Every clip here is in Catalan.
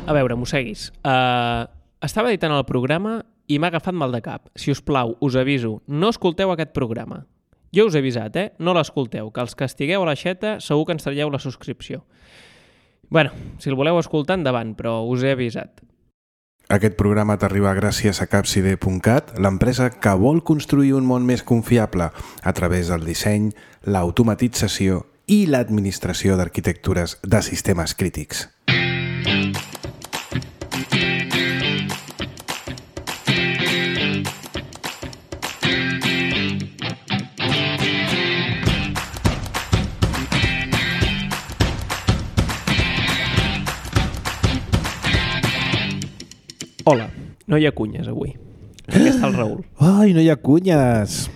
A veure, mosseguis. Estava editant el programa i m'ha agafat mal de cap. Si us plau, us aviso, no escolteu aquest programa. Jo us he avisat, No l'escolteu, que els que estigueu a l'aixeta segur que ens traieu la subscripció. Bueno, si el voleu escoltar, endavant, però us he avisat. Aquest programa t'arriba gràcies a Capcide.cat, l'empresa que vol construir un món més confiable a través del disseny, l'automatització i l'administració d'arquitectures de sistemes crítics. Hola, no hi ha cunyes avui. Aquí està el Raül. Ai, no hi ha cunyes.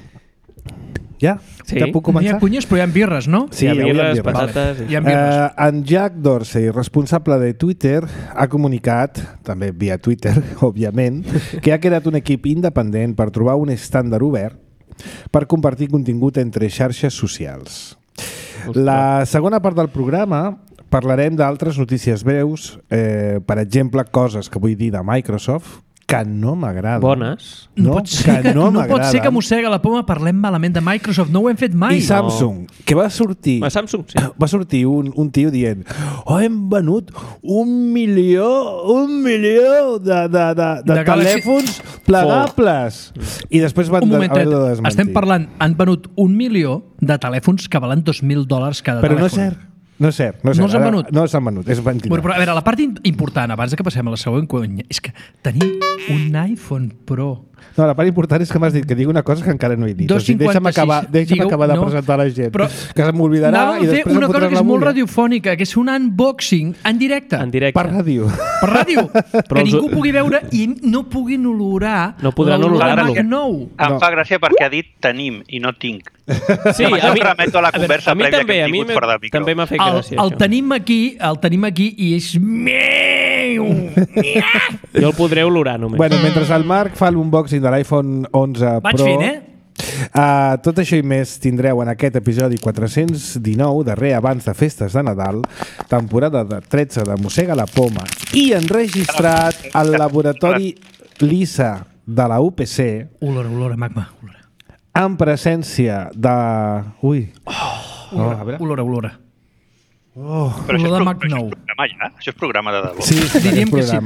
Ja? Sí. Ja puc començar? No hi ha cunyes, però hi ha birres, no? Sí, hi ha birres, patates... Hi ha birres. En Jack Dorsey, responsable de Twitter, ha comunicat, també via Twitter, òbviament, que ha creat un equip independent per trobar un estàndard obert per compartir contingut entre xarxes socials. La segona part del programa parlarem d'altres notícies breus, per exemple, coses que vull dir de Microsoft, que no m'agraden. Bones. No pot ser que mossega la poma parlem malament de Microsoft, no ho hem fet mai. I Samsung, que va sortir... A Samsung, sí. Va sortir un tio dient hem venut 1 milió de telèfons plegables. I després van un momentet, haver de desmentir. estem parlant, han venut 1 milió de telèfons que valen $2.000 cada Però telèfon. no és cert. No és cert. No s'han venut? No s'han venut, és mentida. Bueno, però a veure, la part important, abans que passem a la següent conya, és que tenim un iPhone Pro. No, la part important és que m'has dit que digui una cosa que encara no he dit. 256. Deixa'm acabar de presentar la gent, però que se m'oblidarà i després una cosa que és molt bulla. radiofònica, que és un unboxing en directe. En directe. Per ràdio. Per ràdio. Que ningú pugui veure i no puguin olorar no podran olorar-lo. Em fa gràcia perquè ha dit tenim i no tinc. Sí, a mi remeto a la conversa prèvia que hem tingut fora de micro. També m'ha fet gràcia. El tenim aquí i és meu. Jo el podré olorar només. Bueno, mentre el Marc fa l'unboxing de l'iPhone 11 Vaig Pro... fent, tot això i més tindreu en aquest episodi 419, darrer abans de festes de Nadal, temporada de 13 de Mossega la Poma, i enregistrat al laboratori LISA de la UPC. Olora, magma. En presència de... Ui. Olora. Però això és programa ja? Això és programa de debò. Sí, diríem que sí.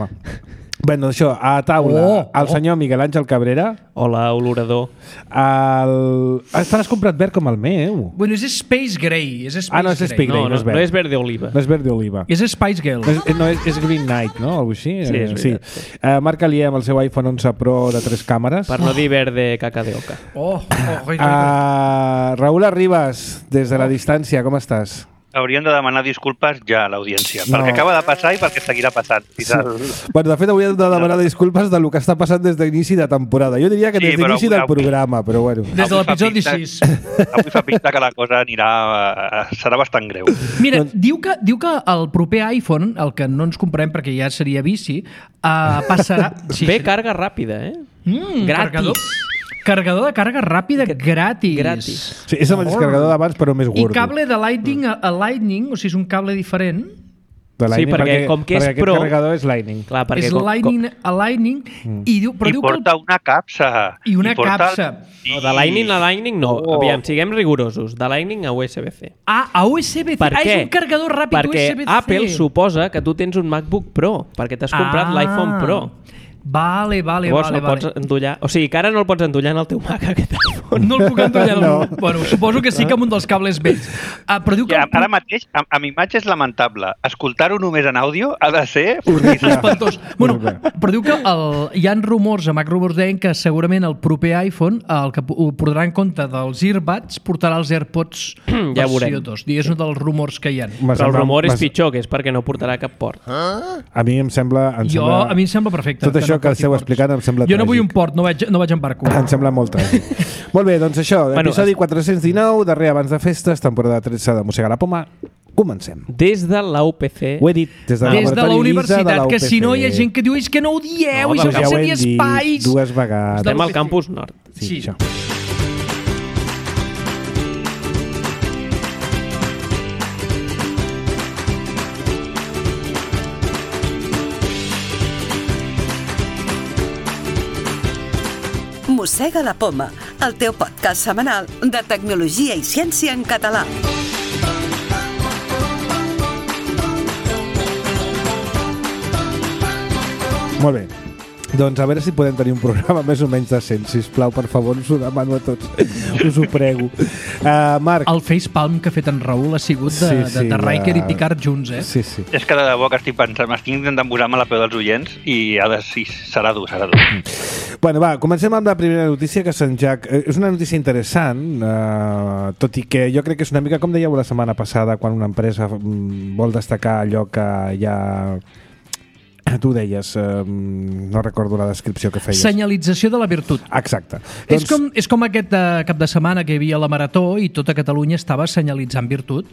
Bueno, això, a taula, el senyor Miguel Àngel Cabrera. Hola, olorador. Has comprat verd com el meu. Bueno, és Space Gray. No és Space Gray, no és verd. No és verde oliva. No és verde oliva. És Spice Girl. No, és Green Knight, no? Algo així. Sí, és veritat. Sí. Marc Alier amb el seu iPhone 11 Pro de 3 càmeres. Per no dir verde caca de oca. Raül Arribas, des de la distància, com estàs? Haurien de demanar disculpes ja a l'audiència, perquè acaba de passar i perquè seguirà passant. Sí. Bueno, de fet, avui hem de demanar disculpes del que està passant des d'inici de temporada. Jo diria que des d'inici del programa, però bueno. Des de l'episodi 6. Avui fa pinta que la cosa serà bastant greu. Mira, diu que el proper iPhone, el que no ens comprem perquè ja seria vici, passarà... Bé, càrga ràpida, Gratis. Carregador de càrrega ràpida gratis. Sí, és el mateix carregador d'abans, però més gordo. I cable de Lightning a Lightning, o sigui, és un cable diferent. Sí, perquè com que és Pro... aquest carregador és Lightning. Clar, és Lightning a Lightning i porta una capsa. I una capsa. No, de Lightning a Lightning no. Aviam, siguem rigorosos. De Lightning a USB-C. A USB-C. És un carregador ràpid USB-C. Perquè Apple suposa que tu tens un MacBook Pro, perquè t'has comprat l'iPhone Pro. Vale. Pots endollar... O sigui, que ara no el pots endollar en el teu Mac, aquest iPhone. No el puc endollar. No. Bueno, suposo que sí que amb un dels cables vells. Però diu que... Ara mateix, amb imatge és lamentable. Escoltar-ho només en àudio ha de ser... espantós. Bueno, però diu que hi ha rumors, a Mac Rumors deien que segurament el proper iPhone, el que ho portarà en compte dels earbuds, portarà els AirPods versió 2. És un dels rumors que hi ha. Però el rumor és pitjor, que és perquè no portarà cap port. A mi em sembla... A mi em sembla perfecte. Tot això que esteu explicant em sembla jo no vull un port, no vaig en barco. Em sembla molt tràgic. Molt bé, doncs això, episodi 419, darrer abans de festes, temporada 13 de Mossega la Poma. Comencem. Des de la UPC. Ho he dit, des de la universitat, que si no hi ha gent que diu és que no ho dieu, això ja seria espais. Dues vegades. Estem al campus nord. Sí, això. Mossega la Poma, el teu podcast setmanal de tecnologia i ciència en català. Molt bé. Doncs a veure si podem tenir un programa més o menys decent. Sisplau, per favor, us ho demano a tots. Us ho prego. Marc. El facepalm que ha fet en Raül ha sigut de Riker i Picard junts, eh? Sí, sí. És que de debò que estic pensant, m'estic intentant posar-me a la peu dels oients i sí, serà dur. Bueno, va, comencem amb la primera notícia, que Sant Jack... És una notícia interessant, tot i que jo crec que és una mica, com dèieu la setmana passada, quan una empresa vol destacar allò que ja... Tu deies, no recordo la descripció que feies. Senyalització de la virtut. Exacte. És com aquest cap de setmana que hi havia la Marató i tota Catalunya estava senyalitzant virtut.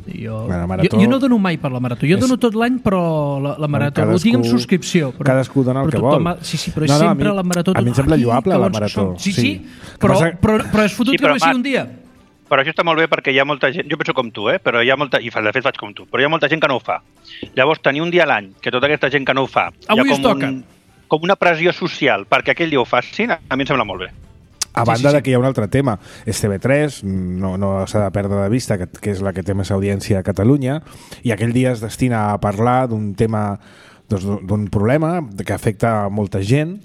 Jo no dono mai per la Marató. Jo dono tot l'any, però la Marató ho tinc en subscripció. Cadascú dona el que vol. Sí, però és sempre la Marató. A mi em sembla lloable la Marató. Sí, però és fotut que només sigui un dia. Però això està molt bé perquè hi ha molta gent, jo penso com tu, però hi ha molta, i de fet faig com tu, però hi ha molta gent que no ho fa. Llavors, tenir un dia a l'any que tota aquesta gent que no ho fa, avui es toca. Com una pressió social perquè aquell dia ho facin, a mi em sembla molt bé. A banda de que hi ha un altre tema, és TV3, no s'ha de perdre de vista, que és la que té més audiència a Catalunya, i aquell dia es destina a parlar d'un tema, d'un problema que afecta a molta gent,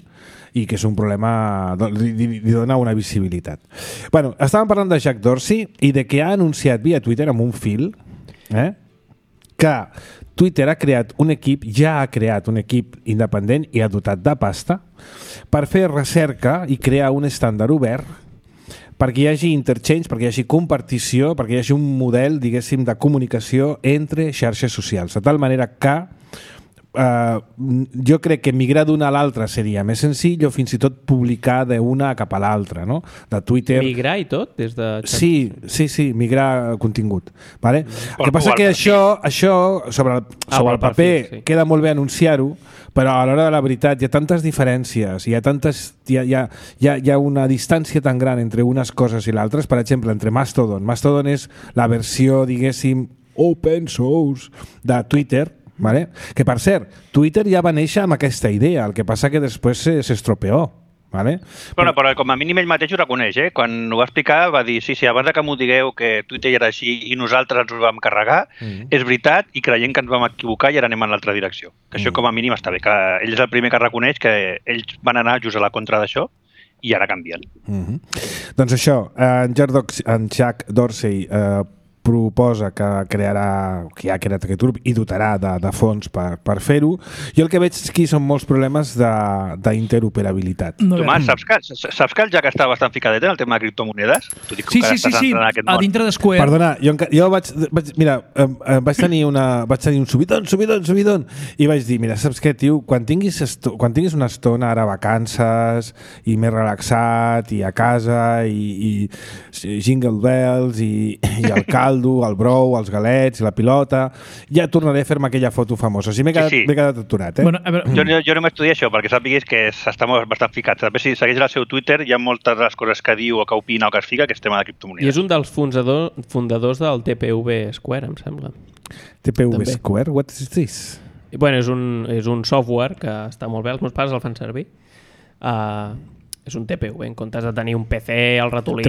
i que és un problema, li dona una visibilitat. Bueno, estàvem parlant de Jack Dorsey i de que ha anunciat via Twitter amb un fil que Twitter ja ha creat un equip independent i ha dotat de pasta per fer recerca i crear un estàndard obert perquè hi hagi interchange, perquè hi hagi compartició, perquè hi hagi un model, diguéssim, de comunicació entre xarxes socials, de tal manera que jo crec que migrar d'una a l'altra seria més senzill o fins i tot publicar d'una cap a l'altra, no? De Twitter... Migrar i tot? Des de... Sí, migrar contingut. Vale? El que passa que això sobre el paper queda molt bé anunciar-ho, però a l'hora de la veritat hi ha tantes diferències, hi ha una distància tan gran entre unes coses i l'altres, per exemple, entre Mastodon. Mastodon és la versió, diguéssim, open source de Twitter, vale? Que per cert, Twitter ja va néixer amb aquesta idea, el que passa que després s'estropeó. Vale? Però com a mínim ell mateix ho reconeix, quan ho va explicar va dir, sí, abans que m'ho digueu que Twitter era així i nosaltres ens ho vam carregar, és veritat i creiem que ens vam equivocar i ara anem en l'altra direcció. Que això com a mínim està bé, que ell és el primer que reconeix que ells van anar just a la contra d'això i ara canvien. Doncs això, en Jack Dorsey proposa que ja ha creat aquest grup i dotarà de fons per fer-ho. Jo el que veig aquí són molts problemes d'interoperabilitat. Tomàs, saps que el Jack està bastant ficadet en el tema de criptomonedes? Sí, a dintre d'Square. Perdona, jo vaig tenir un subidon i vaig dir, mira, saps què, tio? Quan tinguis una estona ara vacances i més relaxat i a casa i jingle bells i el caldo, el brou, els galets, la pilota, ja tornaré a fer-me aquella foto famosa. O sigui, m'he quedat aturat, Bueno, a veure... Jo no m'estudia això, perquè sàpiguis que està bastant ficat. També si segueix el seu Twitter, hi ha moltes de les coses que diu o que opina o que es fica, que és tema de criptomonedes. I és un dels fundadors del TPV Square, em sembla. TPV Square? What is this? Bueno, és un software que està molt bé, els meus pares el fan servir. És un TPV, en comptes de tenir un PC, el ratolí...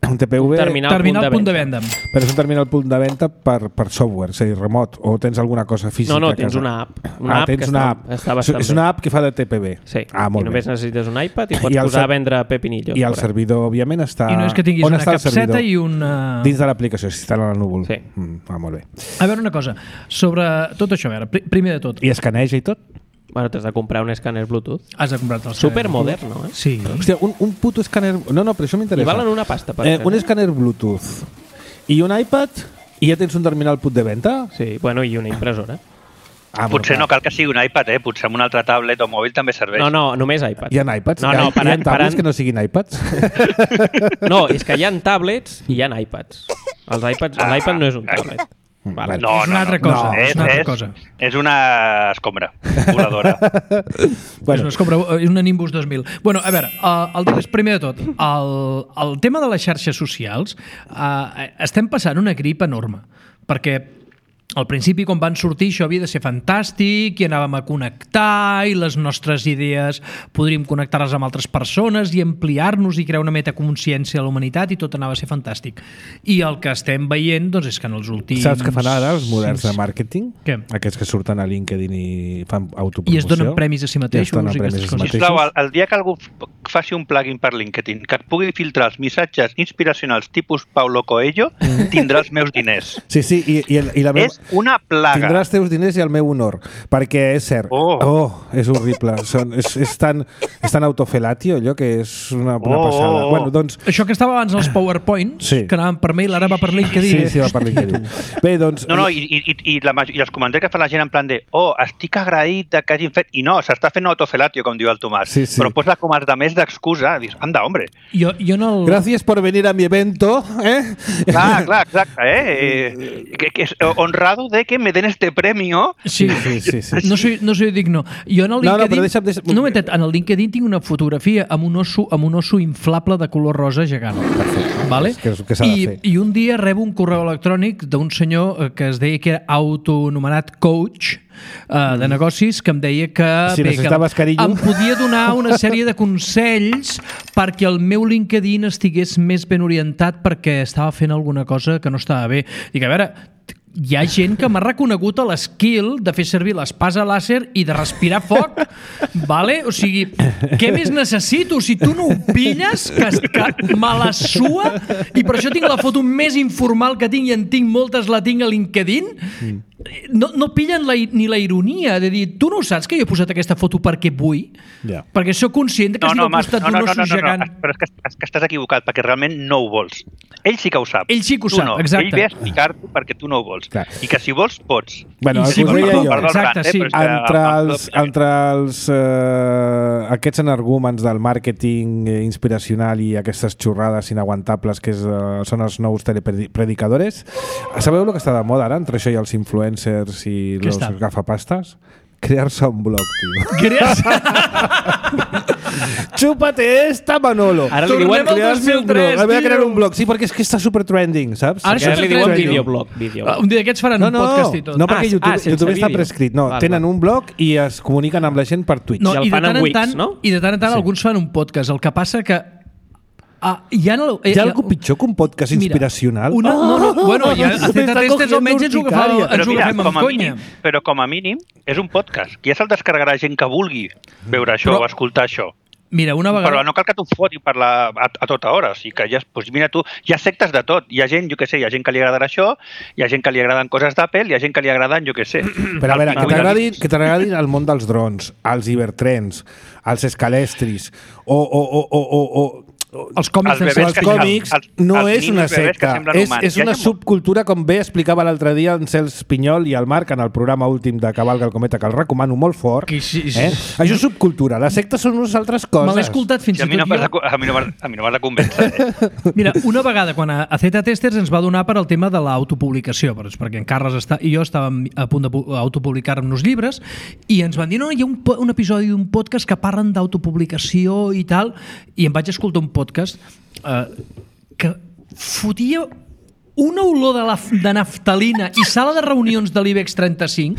Un TPV... Terminal punt de venda. Però és un terminal punt de venda per software, és a dir, remot, o tens alguna cosa física? No, tens una app. Tens una app. És una app que fa de TPV. Sí, i només necessites un iPad i pots posar a vendre pepinillos. I el servidor, òbviament, està... I no és que tinguis una capseta i una... Dins de l'aplicació, si està en el núvol. Sí. Molt bé. A veure una cosa, sobre tot això, a veure, primer de tot... I escaneja i tot? Bueno, t'has de comprar un escàner Bluetooth. Has de comprar-te el supermoderno, Sí. Hòstia, un puto escàner... No, però això m'interessa. I valen una pasta, per un escàner Bluetooth i un iPad i ja tens un terminal punt de venda? Sí, bueno, i una impressora. Potser no cal que sigui un iPad, potser amb un altre tablet o mòbil també serveix. No, només iPad. Hi ha iPads? Hi ha tablets que no siguin iPads? No, és que hi ha tablets i hi ha iPads. L'iPad no és un tablet. Vale. No, és una altra cosa. És una escombra voladora. És una escombra, és una Nimbus 2000. Bueno, a veure, el tema és, primer de tot, el tema de les xarxes socials, estem passant una grip enorme, perquè al principi, quan van sortir, això havia de ser fantàstic i anàvem a connectar i les nostres idees podríem connectar-les amb altres persones i ampliar-nos i crear una metaconsciència a la humanitat i tot anava a ser fantàstic. I el que estem veient doncs, és que en els últims... Saps què fan ara els moderns de màrqueting? Què? Aquests que surten a LinkedIn i fan autopromoció. I es donen premis a si mateixos. Sisplau, el dia que algú faci un plugin per LinkedIn que et pugui filtrar els missatges inspiracionals tipus Paulo Coelho, tindrà els meus diners. Sí, i la meva... És una plaga. Tindrà els teus diners i el meu honor, perquè és cert. És horrible. És tan autofelatio, allò que és una passada. Bueno, doncs... Això que estava abans als PowerPoints, que anaven per mail, ara va per LinkedIn. Sí, va per LinkedIn. Bé, doncs... No, i els comentaris que fa la gent en plan de estic agraït que hagin fet... I no, s'està fent autofelatio, com diu el Tomàs. Sí. Però posa com els de més d'excusa. Dius, anda, hombre. Jo no... Gracias por venir a mi evento, Clar, exacte, que es honrado de que me den este premio. Sí. No soy digno. Jo en el LinkedIn... No, però no, en el LinkedIn tinc una fotografia amb un osso inflable de color rosa gegant. Perfecte. Vale? Que s'ha de fer. I un dia rebo un correu electrònic d'un senyor que es deia que era autoanomenat coach de negocis, que em deia que, si necessitaves carinyo, em podia donar una sèrie de consells perquè el meu LinkedIn estigués més ben orientat perquè estava fent alguna cosa que no estava bé. Dic, a veure, hi ha gent que m'ha reconegut a l'skill de fer servir l'espasa làser i de respirar foc, vale? O sigui, què més necessito? Si tu no ho pilles, que me la sua, i per això tinc la foto més informal que tinc, i en tinc moltes, la tinc a LinkedIn, no pillen ni la ironia de dir, tu no saps que jo he posat aquesta foto perquè vull? Yeah. Perquè sóc conscient que estic al costat d'un osso gegant. Però és que estàs equivocat, perquè realment no ho vols. Ell sí que ho sap. Ell sí que ho sap, exacte. Ell ve a explicar-t'ho perquè tu no ho vols. Clar. I que si vols, pots. Bueno, el que us deia jo. Exacte, sí. Entre aquests energúmens del màrqueting inspiracional i aquestes xorrades inaguantables que són els nous telepredicadores, sabeu el que està de moda ara entre això i els influencers i els gafapastes? Crear-se un blog, tio. Chúpate esta, Manolo. Ara li diuen crear-se un blog. Voy a crear un blog. Sí, perquè és que està super trending, saps? Ara li diuen videoblog. Un dia d'aquests faran un podcast i tot. No, perquè YouTube està prescrit. No, tenen un blog i es comuniquen amb la gent per Twitch. I el fan en Wix, no? I de tant en tant alguns fan un podcast. El que passa que hi ha algú pitjor que un podcast inspiracional? Bueno, ja a Z-Testers almenys ens ho agafem amb conya. Però com a mínim és un podcast, que ja se'l descarregarà gent que vulgui veure això o escoltar això. Mira, una vegada... Però no cal que tu fotis a tota hora. O sigui que mira tu, hi ha sectes de tot. Hi ha gent, jo què sé, hi ha gent que li agradarà això, hi ha gent que li agraden coses d'Apple, hi ha gent que li agraden, jo què sé. Però a veure, que t'agradin el món dels drons, els hipertrens, els escalestris, els còmics no és una secta, és una subcultura, com bé explicava l'altre dia en Cels Pinyol i el Marc en el programa últim de Cavalga el Cometa, que el recomano molt fort. Això és subcultura, la secta són unes altres coses. Me l'he escoltat fins i tot jo. A mi no m'has de convèncer. Mira, una vegada quan a Z-Testers ens va donar per al tema de l'autopublicació, perquè en Carles i jo estàvem a punt d'autopublicar-nos llibres i ens van dir, no, hi ha un episodi d'un podcast que parlen d'autopublicació i tal, i em vaig escoltar un podcast que fotia una olor de naftalina i sala de reunions de l'IBEX 35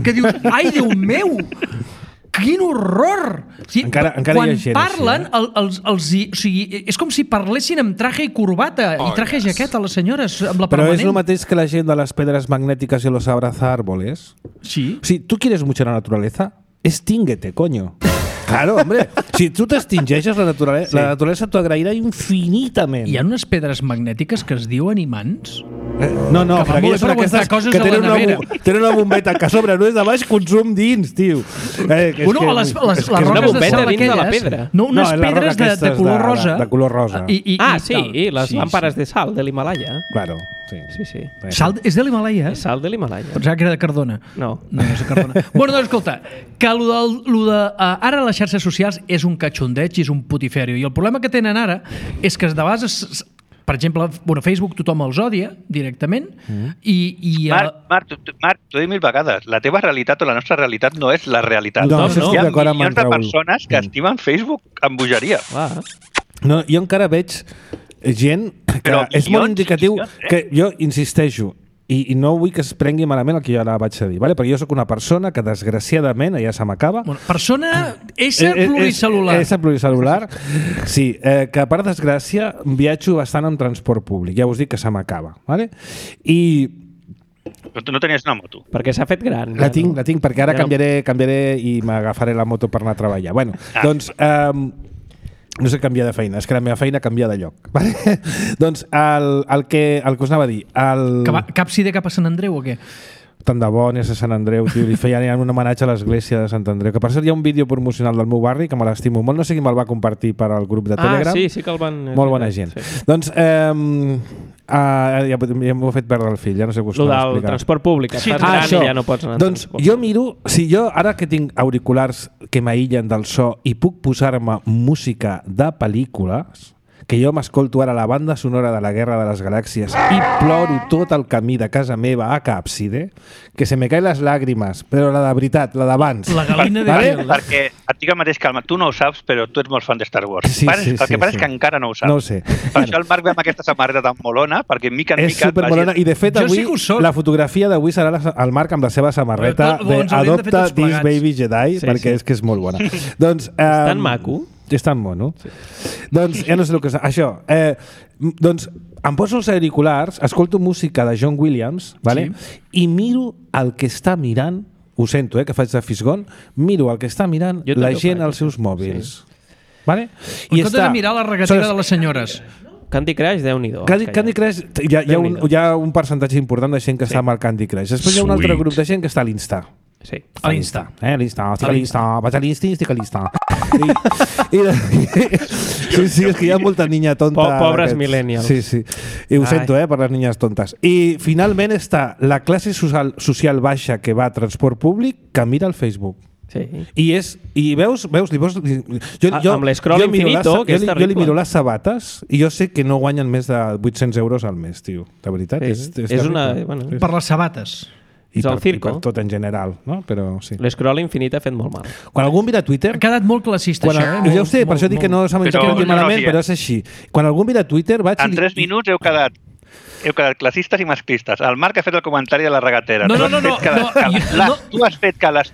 que dius, ai, Déu meu, quin horror! O sigui, encara quan hi ha gent parlen, així, o sigui, és com si parlessin amb traje i corbata i traje i jaqueta les senyores, amb la Però permanent. és el mateix que la gent de les pedres magnètiques i los abraza árboles. Sí. O sigui, ¿tú quieres mucho la naturaleza? Extínguete, coño. Claro, hombre. Si tu t'extingeixes, la naturalesa t'ho agrairà infinitament. Hi ha unes pedres magnètiques que es diuen imants? No, que aquelles són aquestes que tenen una bombeta que a sobre no és de baix, consum dins, tio. Les roques de sal aquelles. No, unes pedres de color rosa. De color rosa. Sí, les làmperes de sal de l'Himalaya. Claro. Sí. Sal és de l'Himalaya? És sal de l'Himalaya. Pensava que era de Cardona. No és de Cardona. Bueno, doncs escolta, que ara les xarxes socials és un catxondeig i és un putiferio. I el problema que tenen ara és que de vegades, per exemple, Facebook tothom els odia directament i Marc, t'ho he dit 1000 vegades. La teva realitat o la nostra realitat no és la realitat. No, hi ha milions de persones que estimen Facebook amb bogeria. No, jo encara veig gent que és molt indicatiu, que jo insisteixo, i no vull que es prengui malament el que jo ara vaig a dir, vale? Perquè jo sóc una persona que desgraciadament, ja se m'acaba... Bueno, persona, ésser pluricel·lular. Ésser pluricel·lular, sí, que per desgràcia viatjo bastant en transport públic, ja us dic que se m'acaba, vale? I... Però tu no tenies una moto. Perquè s'ha fet gran. La tinc, perquè ara canviaré i m'agafaré la moto per anar a treballar. Bueno, doncs... no sé canviar de feina, és que la meva feina canvia de lloc. Vale? Doncs el que us anava a dir... Cap CD cap a Sant Andreu o què? Tant de bo anés a Sant Andreu, tio, li feien un homenatge a l'església de Sant Andreu, que per cert hi ha un vídeo promocional del meu barri que me l'estimo molt, no sé qui me'l va compartir per al grup de Telegram. Sí que el van... Molt bona gent. Sí. Doncs ja m'ho he fet perdre el fill, ja no sé què us explicar. Lo del transport públic, et fas gran i ja no pots anar. Doncs jo miro, si jo ara que tinc auriculars que m'aïllen del so i puc posar-me música de pel·lícules, que jo m'escolto ara la banda sonora de la Guerra de les Galàxies i ploro tot el camí de casa meva a Càpside, que se me caen les làgrimes, però la de veritat, la d'abans. La galina de vale? Perquè et dic el mateix, Calma, tu no ho saps, però tu ets molt fan de Star Wars. El que passa és que encara no ho saps. No ho sé. Per això el Marc ve amb aquesta samarreta tan molona, perquè mica en mica... És supermolona, i de fet avui, la fotografia d'avui serà el Marc amb la seva samarreta d'Adopta This Baby Jedi, perquè és que és molt bona. Doncs... És tan maco. És tan mono. Sí. Doncs ja no sé el que és. Això. Doncs em poso els auriculars, escolto música de John Williams, vale? Sí. I miro el que està mirant, ho sento, que faig de fisgon, miro el que està mirant la gent als seus mòbils. Sí. Vale? I comptes de mirar la regatera de les senyores. Candy Crush, Déu-n'hi-do. Candy Crush, hi ha un percentatge important de gent que està amb el Candy Crush. Després hi ha un altre grup de gent que està a l'Insta. Sí, a l'Insta. Estic a l'Insta, vaig a l'Insta i estic a l'Insta. Sí, és que hi ha molta niña tonta. Pobres millennials. Sí. I ho sento, per les niñas tontes. I finalment està la classe social baixa que va a transport públic que mira el Facebook. Sí. I veus amb l'escroll infinito, que és terrible. Jo li miro les sabates i jo sé que no guanyen més de 800 euros al mes, tio. De veritat, és una... Per les sabates. I per tot en general, no? Però sí. L'escroll infinit ha fet molt mal. Quan algú mira Twitter... Ha quedat molt classista, això, Ja ho sé, per això dic que no s'ha menjat malament, però és així. Quan algú mira Twitter... En 3 minuts heu quedat classistes i masclistes. El Marc ha fet el comentari de la regatera. No. Tu has fet que les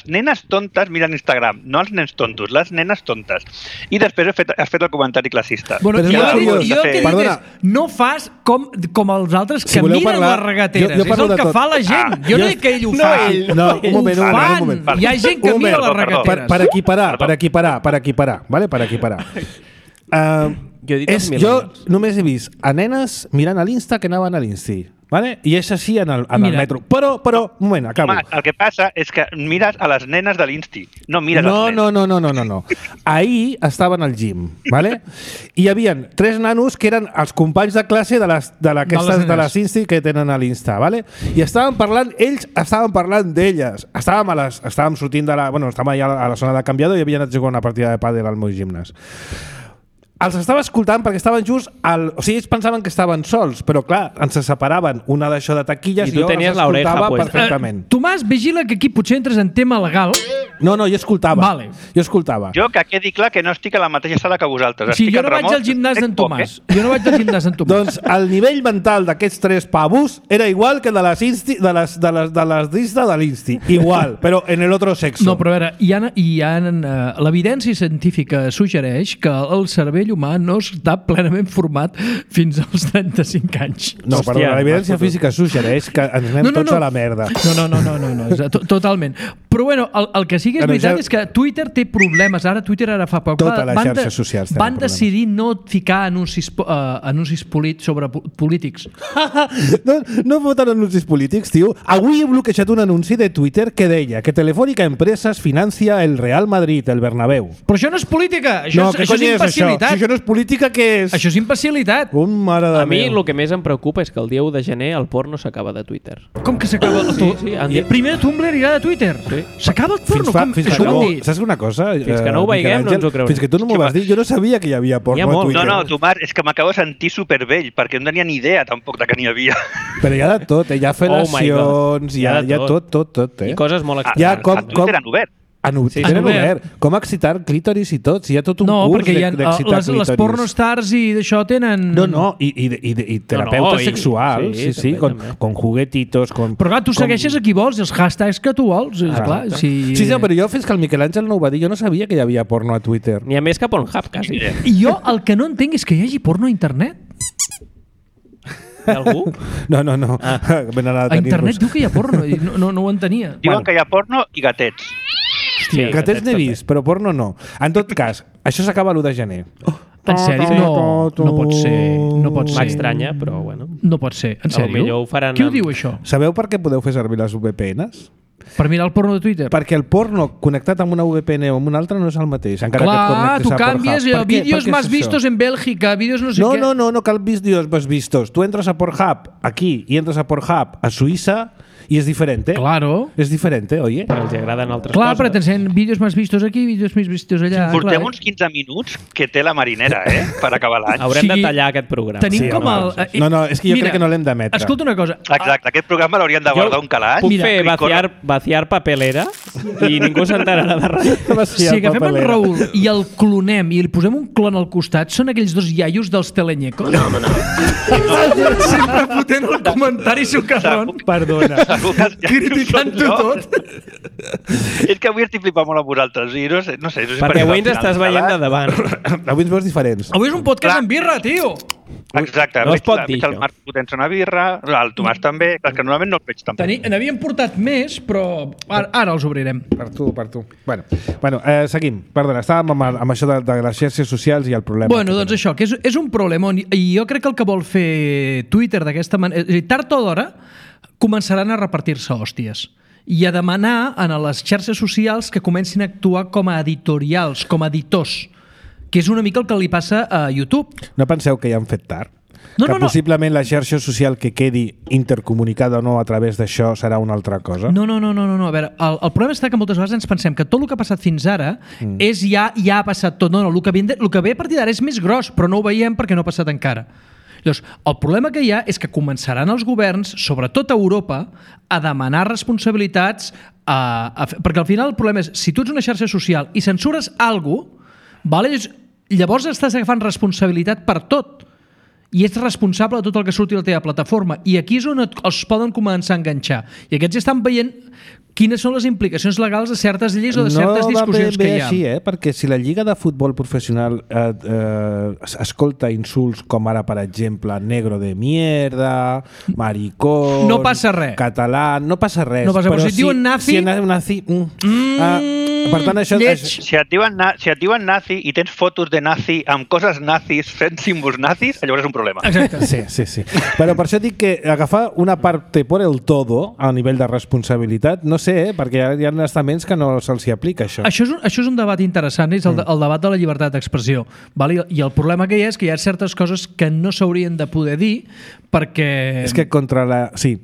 nenes tontes miren Instagram, no els nens tontos, les nenes tontes. I després has fet el comentari classista. Bueno, jo el que dic és, no fas com els altres que miren les regateres. És el que fa la gent. Jo no dic que ell ho faci. No, un moment. Hi ha gent que mira les regateres. Per equiparar. Per equiparar. Jo només he vist a nenes mirant a l'Insta que anaven a l'Insti, vale? I és així en el metro. Però, un moment, acabo. El que passa és que mires a les nenes de l'Insti, no mires als nens. No. Ahir estaven al gym, vale? I hi havia 3 nanos que eren els companys de classe de les Insti que tenen a l'Insta, vale? I estaven parlant d'elles. Estàvem sortint estàvem allà a la zona de canviador i havia anat a jugar una partida de pàdel al meu gimnàs. Els estava escoltant perquè estaven just o sigui, ells pensaven que estaven sols, però clar, ens separaven una d'això de taquilles i jo els escoltava perfectament. Tomàs, vigila que aquí potser entres en tema legal. No, jo escoltava. Vale. Jo que quedi clar que no estic a la mateixa sala que vosaltres. Sí, jo no vaig al gimnàs d'en Tomàs. Doncs el nivell mental d'aquests 3 pavos era igual que de les d'Insta de l'Insti. Igual, però en el otro sexo. No, però a veure, l'evidència científica suggereix que el cervell humà no està plenament format fins als 35 anys. No, perdó, l'evidència física suggereix que ens anem tots a la merda. No, totalment. Però bueno, el que sí que és veritat és que Twitter té problemes. Twitter ara fa poc. Tota la xarxa social van decidir no ficar anuncis sobre polítics. No voten anuncis polítics, tio. Avui he bloquejat un anunci de Twitter que deia que Telefónica Empresas financia el Real Madrid, el Bernabéu. Però això no és política, això és imbecilitat. Això no és política, què és? Això és imbecilitat. Mare de a mi el que més em preocupa és que el dia 1 de gener el porno s'acaba de Twitter. Com que s'acaba? Sí, primer Tumblr irà de Twitter. Sí. S'acaba el porno? Saps una cosa? Fins que no ho veiem no ens ho creurem. Fins que tu no m'ho vas dir, jo no sabia que hi havia porno a Twitter. No, Tomàs, és que m'acabo de sentir supervell, perquè no tenia ni idea tampoc de que n'hi havia. Però hi ha de tot, hi ha fel·lacions, hi ha tot. I coses molt estranyes. A Twitter han obert. tenen obert. Com excitar clítoris i tot, si hi ha tot un curs d'excitar clítoris. Les pornostars i d'això tenen... No, i terapeutes sexuals, sí, con juguetitos... Però clar, tu segueixes a qui vols, els hashtags que tu vols, clar. Sí, però jo fins que el Miquel Àngel no ho va dir, jo no sabia que hi havia porno a Twitter. N'hi ha més que Pornhub, quasi. I jo el que no entenc és que hi hagi porno a internet. Algú? No. A internet diu que hi ha porno, no ho entenia. Diuen que hi ha porno i gatets. Hòstia, gatets n'he vist, però porno no. En tot cas, això s'acaba l'1 de gener. En sèrio? No pot ser. M'estranya, però bueno. No pot ser, en sèrio? Qui ho diu, això? Sabeu per què podeu fer servir les VPNs? Per mirar el porno de Twitter? Perquè el porno connectat amb una VPN o amb una altra no és el mateix. Clar, tu canvies vídeos más vistos en Bèlgica, vídeos no sé què... No cal vídeos más vistos. Tu entres a Pornhub aquí i entres a Pornhub a Suïssa i és diferent. Claro. És diferent, oye. Però els agraden altres coses. Clar, però t'ensenyen vídeos més vistos aquí, vídeos més vistos allà. Portem uns 15 minuts que té la marinera, per acabar l'any. Haurem de tallar aquest programa. Tenim com el... No, és que jo crec que no l'hem d'emetre. Escolta una cosa. Exacte, aquest programa l'hauríem de guardar un calaix. Puc fer vaciar papelera i ningú s'enterarà de res. Si agafem en Raül i el clonem i li posem un clon al costat, són aquells dos iaios dels telenyecos? No. Sempre fotent el comentari socarrón. Perdona. Criticant-ho tot. És que avui estic flipant molt amb vosaltres. No sé. Perquè avui ens estàs veient de davant. Avui ens veus diferents. Avui és un podcast amb birra, tio. Exacte. No es pot dir, el Marc fotent una birra, el Tomàs també, que normalment no el veig tampoc. N'havíem portat més, però ara els obrirem. Per tu. Bueno, seguim. Perdona, estàvem amb això de les xarxes socials i el problema. Bueno, doncs això, que és un problema. I jo crec que el que vol fer Twitter d'aquesta manera... Tard o d'hora començaran a repartir-se hòsties i a demanar a les xarxes socials que comencin a actuar com a editorials, com a editors, que és una mica el que li passa a YouTube. No penseu que ja han fet tard? Possiblement la xarxa social que quedi intercomunicada o no a través d'això serà una altra cosa? No. A veure, el problema està que moltes vegades ens pensem que tot el que ha passat fins ara és ja ha passat tot. No, el que ve a partir d'ara és més gros, però no ho veiem perquè no ha passat encara. Llavors, el problema que hi ha és que començaran els governs, sobretot a Europa, a demanar responsabilitats, perquè al final el problema és, si tu ets una xarxa social i censures alguna cosa, llavors estàs agafant responsabilitat per tot i ets responsable de tot el que surti a la teva plataforma, i aquí és on els poden començar a enganxar, i aquests estan veient quines són les implicacions legals de certes lleis o de certes discussions que hi ha. No va bé així, perquè si la Lliga de Futbol Professional escolta insults com ara, per exemple, negro de mierda, maricón... No passa res. Català, no passa res. No passa, però si et diuen nazi... Per tant, això... Si et diuen nazi i tens fotos de nazi amb coses nazis fent símbols nazis, llavors és un problema. Exacte. Sí. Però per això dic que agafar una parte por el todo a nivell de responsabilitat, no sé, perquè hi ha estaments que no se'ls aplica això. Això és un debat interessant, és el debat de la llibertat d'expressió. I el problema que hi ha és que hi ha certes coses que no s'haurien de poder dir perquè... És que contra la... Sí,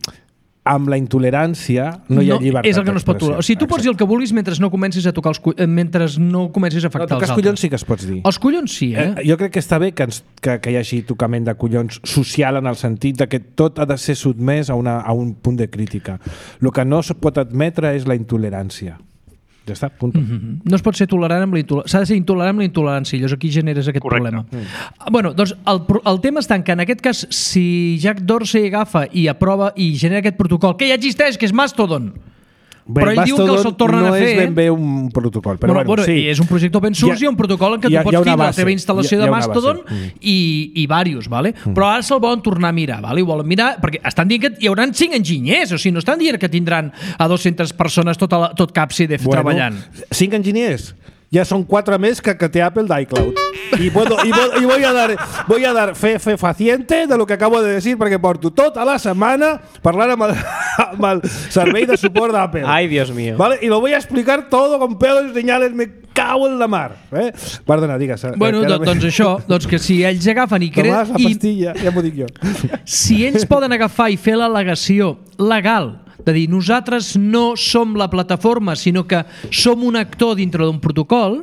amb la intolerància no hi ha llibertat. És el que no es pot tolerar. O sigui, tu pots dir el que vulguis mentre no comencis a tocar els collons, mentre no comencis a afectar els altres. Tocar els collons sí que es pots dir. Els collons sí, Jo crec que està bé que hi hagi tocament de collons social, en el sentit de que tot ha de ser sotmès a un punt de crítica. El que no es pot admetre és la intolerància. Ja està, punt. No es pot ser tolerant amb la intolerància. S'ha de ser intolerant amb la intolerància. Llavors aquí generes aquest problema. Bueno, doncs el tema està en que en aquest cas, si Jack Dorsey agafa i aprova i genera aquest protocol, que ja existeix, que és Mastodon, però ell diu que se'l tornen a fer... No és ben bé un protocol, però bueno, sí. És un projecte open source i un protocol en què tu pots tindre la teva instal·lació de Mastodon i diversos, ¿vale? Però ara se'l volen tornar a mirar, ¿vale? Ho volen mirar perquè estan dient que hi haurà 5 enginyers, o sigui, no estan dient que tindran a 200 persones tot Capside treballant. 5 enginyers? Ya son 4 més que té Apple d'iCloud. Y voy a dar fe fefaciente de lo que acabo de decir, perquè porto tota la setmana parlant amb el servei de suport d'Apple. Ai, Dios mío. ¿Vale? Y lo voy a explicar todo con pelos y señales. Me cago en la mar. Perdona, digues. Bueno, doncs això, doncs que si ells agafen i creen... Tomàs, la pastilla, ja m'ho dic jo. Si ells poden agafar i fer l'al·legació legal de dir nosaltres no som la plataforma, sinó que som un actor dintre d'un protocol,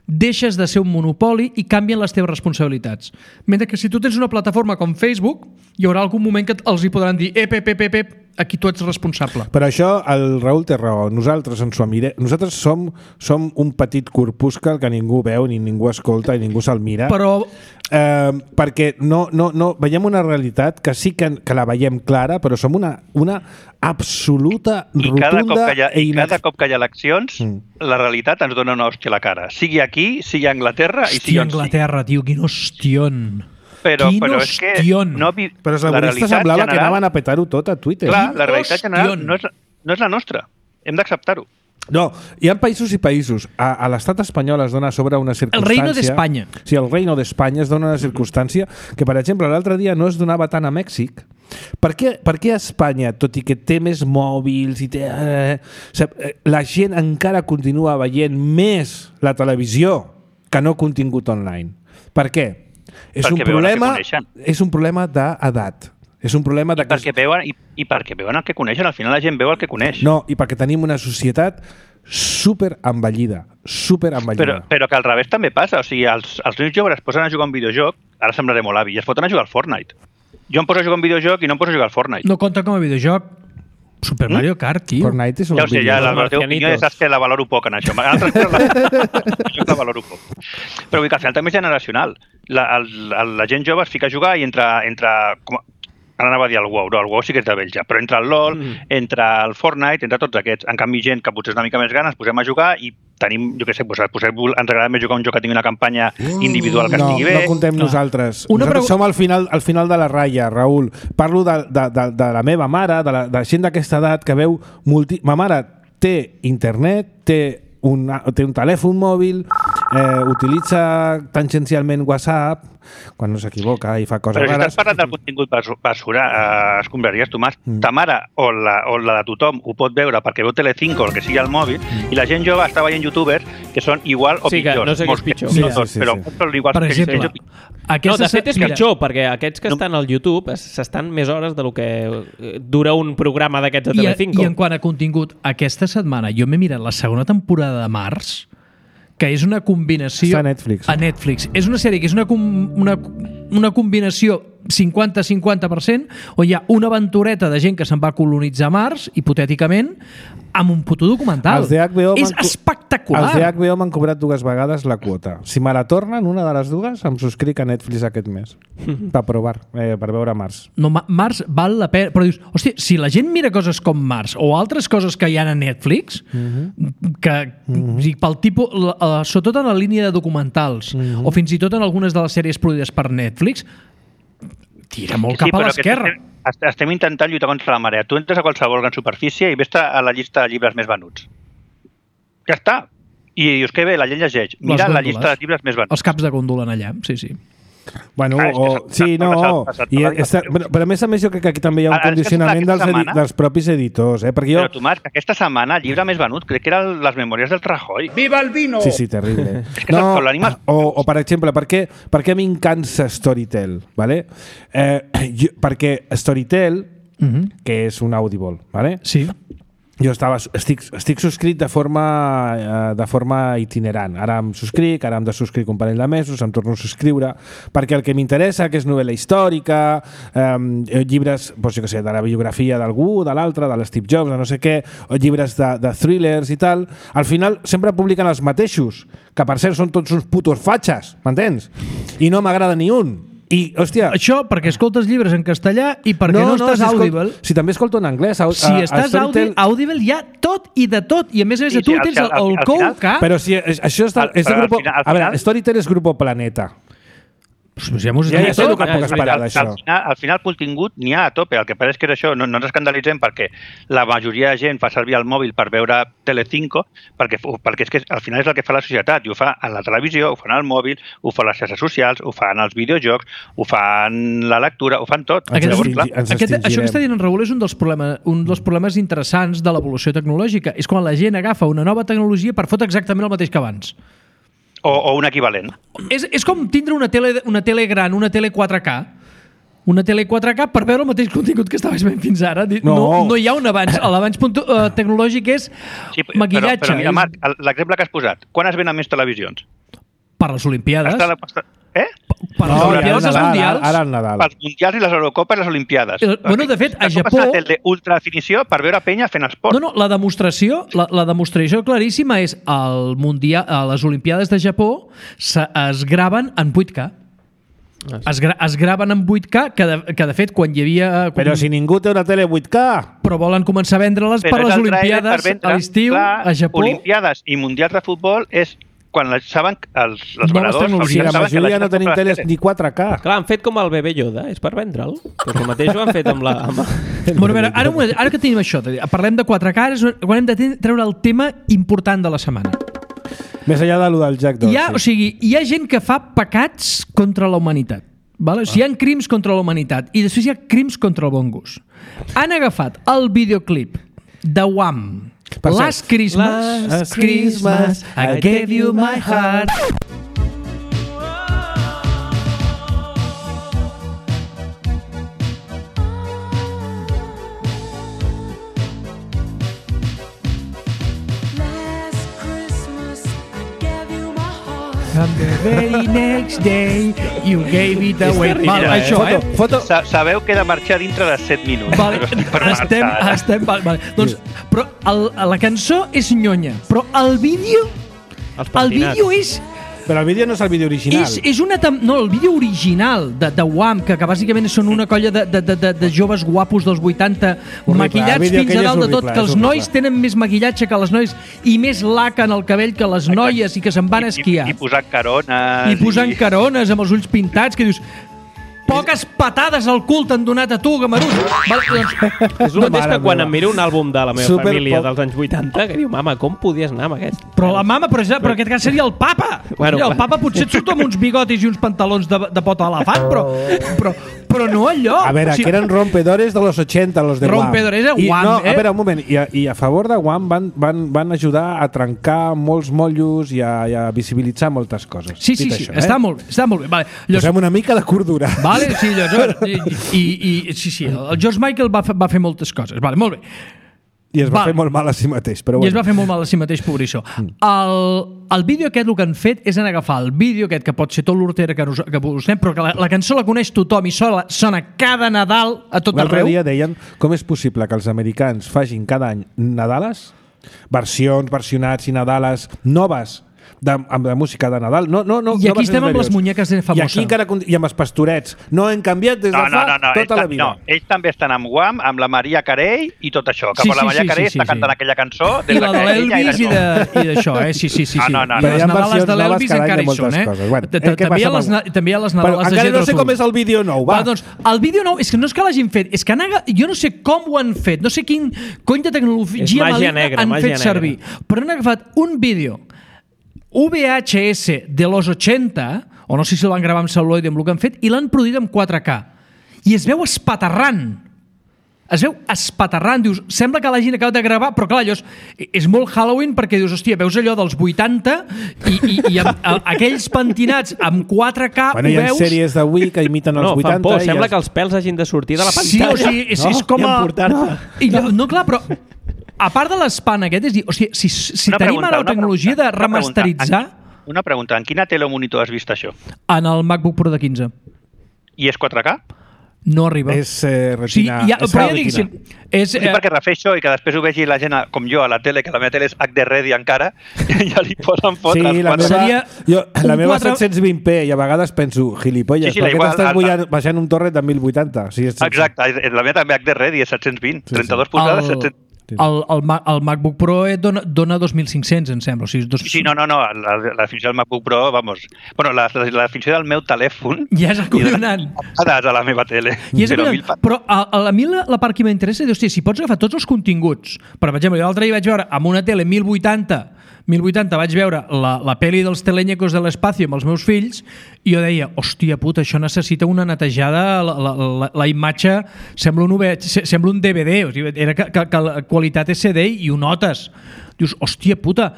deixes de ser un monopoli i canvien les teves responsabilitats. Mentre que si tu tens una plataforma com Facebook, hi haurà algun moment que els hi podran dir aquí tu ets responsable. Per això el Raül té raó. Nosaltres som un petit corpuscle que ningú veu, ni ningú escolta, i ningú se'l mira. Però... perquè no veiem una realitat que sí que la veiem clara, però som una absoluta, rotunda... I cada cop que hi ha eleccions, la realitat ens dona una hòstia a la cara. Sigui aquí, sigui a Anglaterra... Hòstia, Anglaterra, tio, quin hostion... Però és que... Però els laboristes semblava que anaven a petar-ho tot a Twitter. Clar, la realitat general no és la nostra. Hem d'acceptar-ho. No, hi ha països i països. A l'estat espanyol es dona sobre una circumstància... El Reino d'Espanya. Sí, el Reino d'Espanya es dona una circumstància que, per exemple, l'altre dia no es donava tant a Mèxic. Per què a Espanya, tot i que té més mòbils i té... la gent encara continua veient més la televisió que no contingut online? Per què? És un problema d'edat. És un problema de... I perquè veuen el que coneixen. Al final la gent veu el que coneix. No, i perquè tenim una societat superenvellida. Però que al revés també passa. O sigui, els nens joves es posen a jugar a un videojoc, ara semblaré molt avi, i es foten a jugar al Fortnite. Jo em poso a jugar a un videojoc i no em poso a jugar al Fortnite. No compta com a videojoc. Super Mario Kart, tio. Fortnite és un ja ho sé, ja la teva opinió saps que la valoro poc en això. La valoro poc. Però vull dir que al final també és generacional. La gent jove es fica a jugar i entra ara anava a dir el WoW, no, el WoW sí que és de vell ja, però entre el LoL, entre el Fortnite, entre tots aquests. En canvi, gent que potser és una mica més gran, ens posem a jugar i tenim, jo què sé, ens agrada més jugar un joc que tingui una campanya individual que estigui bé. No contem nosaltres. Nosaltres som al final de la ratlla, Raül. Parlo de la meva mare, de gent d'aquesta edat que veu... Ma mare té internet, té un telèfon mòbil, utilitza tangencialment WhatsApp quan no s'equivoca i fa coses rares. Però si estàs parlant del contingut basura, escombraries, Tomàs, ta mare o la de tothom ho pot veure perquè veu Telecinco o el que sigui al mòbil, i la gent jove està veient youtubers que són igual o pitjors. No sé què és pitjor. Però són iguals per exemple, no, de fet és pitjor, perquè aquests que estan al YouTube s'estan més hores del que dura un programa d'aquests de Telecinco. I en quant a contingut, aquesta setmana jo m'he mirat la segona temporada de Mars, que és una combinació... Està a Netflix. A Netflix. És una sèrie que és una combinació 50-50%, on hi ha una aventureta de gent que se'n va a colonitzar Mars, hipotèticament, amb un puto documental. És espectacular. Els de HBO m'han cobrat 2 vegades la quota. Si me la tornen, una de les 2, em subscric a Netflix aquest mes. Per provar, per veure Mars. No, Mars val la pena. Però dius, hòstia, si la gent mira coses com Mars o altres coses que hi ha a Netflix, que pel tipus, sobretot en la línia de documentals, o fins i tot en algunes de les sèries produïdes per Netflix, tira molt cap a l'esquerra. Estem intentant lluitar contra la marea. Tu entres a qualsevol gran superfície i ves a la llista de llibres més venuts. Ja està. I dius que bé, la gent llegeix. Mira la llista de llibres més venuts. Els caps de gòndola allà, sí. Bueno, però a més jo crec que aquí també hi ha un condicionament dels propis editors. Però, Tomàs, aquesta setmana el llibre més venut crec que era Les memòries del Rajoy. Viva el vino! Sí, terrible. O per exemple, per què m'encansa Storytel? Vale? Perquè Storytel, que és un Audible, vale? Sí. Jo estic subscrit de forma itinerant. Ara em subscric, ara em desubscric un parell de mesos, em torno a subscriure, perquè el que m'interessa, que és novel·la històrica, llibres, doncs jo què sé, de la biografia d'algú, de l'altre, de l'Steve Jobs, de no sé què, o llibres de thrillers i tal, al final sempre publiquen els mateixos, que per cert són tots uns putos fatxes, m'entens? I no m'agrada ni un. I, hòstia... Això perquè escoltes llibres en castellà i perquè no estàs Audible. Si també escolto en anglès. Si estàs Audible hi ha tot i de tot. I a més tu tens el Couca... Però si això és de grupo... A veure, Storytel és Grupo Planeta. Pues ja m'ho sé tot. Al final el contingut n'hi ha a tope. El que passa és que és això, no ens escandalitzem perquè la majoria de gent fa servir el mòbil per veure Telecinco, perquè és que al final és el que fa la societat, i ho fa a la televisió, ho fan al mòbil, ho fan les xarxes socials, ho fan als videojocs, ho fan la lectura, ho fan tot. Això que està dient en Raül és un dels problemes interessants de l'evolució tecnològica. És quan la gent agafa una nova tecnologia per fotre exactament el mateix que abans. O un equivalent. És com tindre una tele gran, una tele 4K. Una tele 4K per veure el mateix contingut que estaves veient fins ara. No hi ha un avanç. L'avanç tecnològic és maquillatge. Però mira, Marc, l'exemple que has posat. Quan es venen més televisions? Per les Olimpiades. Per les Olimpiades i els Mundials. Ara el Nadal. Pels Mundials i les Eurocopes i les Olimpiades. Bueno, de fet, a Japó... La tele ultra definició per veure penya fent esport. No, la demostració claríssima és el Mundial, a les Olimpiades de Japó es graven en 8K. Es graven en 8K, que de fet, quan hi havia... Però si ningú té una tele 8K... Però volen començar a vendre-les per les Olimpiades a l'estiu, a Japó. Olimpiades i Mundials de futbol és quan saben els venedors... Si la majoria no tenim teles ni 4K. Clar, han fet com el bebè Yoda, és per vendre'l. Però el mateix ho han fet amb la... Bueno, a veure, ara que tenim això, parlem de 4K, quan hem de treure el tema important de la setmana. Més enllà de lo del Jack Dorsey. Hi ha gent que fa pecats contra la humanitat. Vale? O sigui, hi ha crims contra la humanitat i després hi ha crims contra el bon gust. Han agafat el videoclip de Wham! Last Christmas, I gave you my heart. And the very next day you gave it away. Vale, això, foto. Sabeu que he de marxar dintre de 7 minuts. Vale, vale. Doncs, però la cançó és nyonya, però el vídeo és... Però el vídeo no és el vídeo original. No, el vídeo original de Wham, que bàsicament són una colla de joves guapos dels 80 maquillats fins a dalt de tot, que els nois tenen més maquillatge que les noies i més laca en el cabell que les noies i que se'n van a esquiar. I posant carones. I posant carones amb els ulls pintats, que dius... Poques patades al cul t'han donat a tu, Gamarús. És el mateix que quan em miro un àlbum de la meva família dels anys 80, que diu, mama, com podies anar amb aquest? Però la mama, però en aquest cas seria el papa. Bueno, el papa potser et surt amb uns bigotis i uns pantalons de pota d'elefant, però no allò. A veure, que eren rompedores de los 80, los de Wham. Rompedores de Wham, no, a veure, un moment. I a favor de Wham van ajudar a trencar molts motllos i a visibilitzar moltes coses. Sí, està molt bé. Vale, posem una mica de cordura. Vale, sí, el George Michael va fer moltes coses. Vale, molt bé. I es va fer molt mal a si mateix. Però I es va fer molt mal a si mateix, pobrissó. El vídeo aquest, el que han fet és agafar el vídeo aquest, que pot ser tot l'hortera que posem, però que la cançó la coneix tothom i sona cada Nadal a tot arreu. L'altre dia deien com és possible que els americans facin cada any Nadales, versionats i Nadales noves, amb la música de Nadal. I aquí estem amb les muñeques de famosa. I aquí encara i amb els pastorets. No hem canviat des de tota la vida. No, ells també estan amb Wham, amb la Maria Carey i tot això. Que la Maria Carey està cantant aquella cançó. I la de l'Elvis i d'això, Sí. No. Les Nadales de l'Elvis encara hi són, També hi ha les Nadales de encara no sé com és el vídeo nou, va. Doncs el vídeo nou, és que no és que l'hagin fet, és que jo no sé com ho han fet, no sé quin cony de tecnologia maligna han fet servir, però han agafat un vídeo VHS de los 80, o no sé si el van gravar amb celuloide amb el que han fet, i l'han produït amb 4K. I es veu espaterrant. Dius, sembla que l'hagin acabat de gravar, però clar, allò és molt Halloween perquè dius, hòstia, veus allò dels 80 i aquells pentinats amb 4K ho veus... Hi ha sèries d'avui que imiten els 80... Fan por, sembla que els pèls hagin de sortir de la pantalla. Sí, o sigui, és com a... No, clar, però... A part de l'espant aquest, és dir, o sigui, si tenim ara la tecnologia de remasteritzar... Una pregunta, en quina tele o monitor has vist això? En el MacBook Pro de 15. I és 4K? No arriba. És retina. Però ja dic, sí, perquè refeixo i que després ho vegi la gent com jo a la tele, que la meva tele és HD Ready encara, ja li poden fotre els quadres. La meva 720p i a vegades penso, gilipolles, per què t'estàs baixant un torrent de 1080? Exacte, la meva també HD Ready és 720, 32 polzades, 720. El MacBook Pro dona 2.500, em sembla. O sigui, no. La definició del MacBook Pro, vamos... Bueno, la definició del meu telèfon... Ja és acollonant. A la meva tele. Però a mi la part que m'interessa és, hòstia, si pots agafar tots els continguts... Per exemple, l'altre dia vaig veure amb una tele 1080 vaig veure la pel·li dels Teleñecos de l'espacio amb els meus fills i jo deia, hòstia puta, això necessita una netejada, la imatge sembla un DVD, o sigui, era que la qualitat és CD i ho notes. Dius, hòstia puta,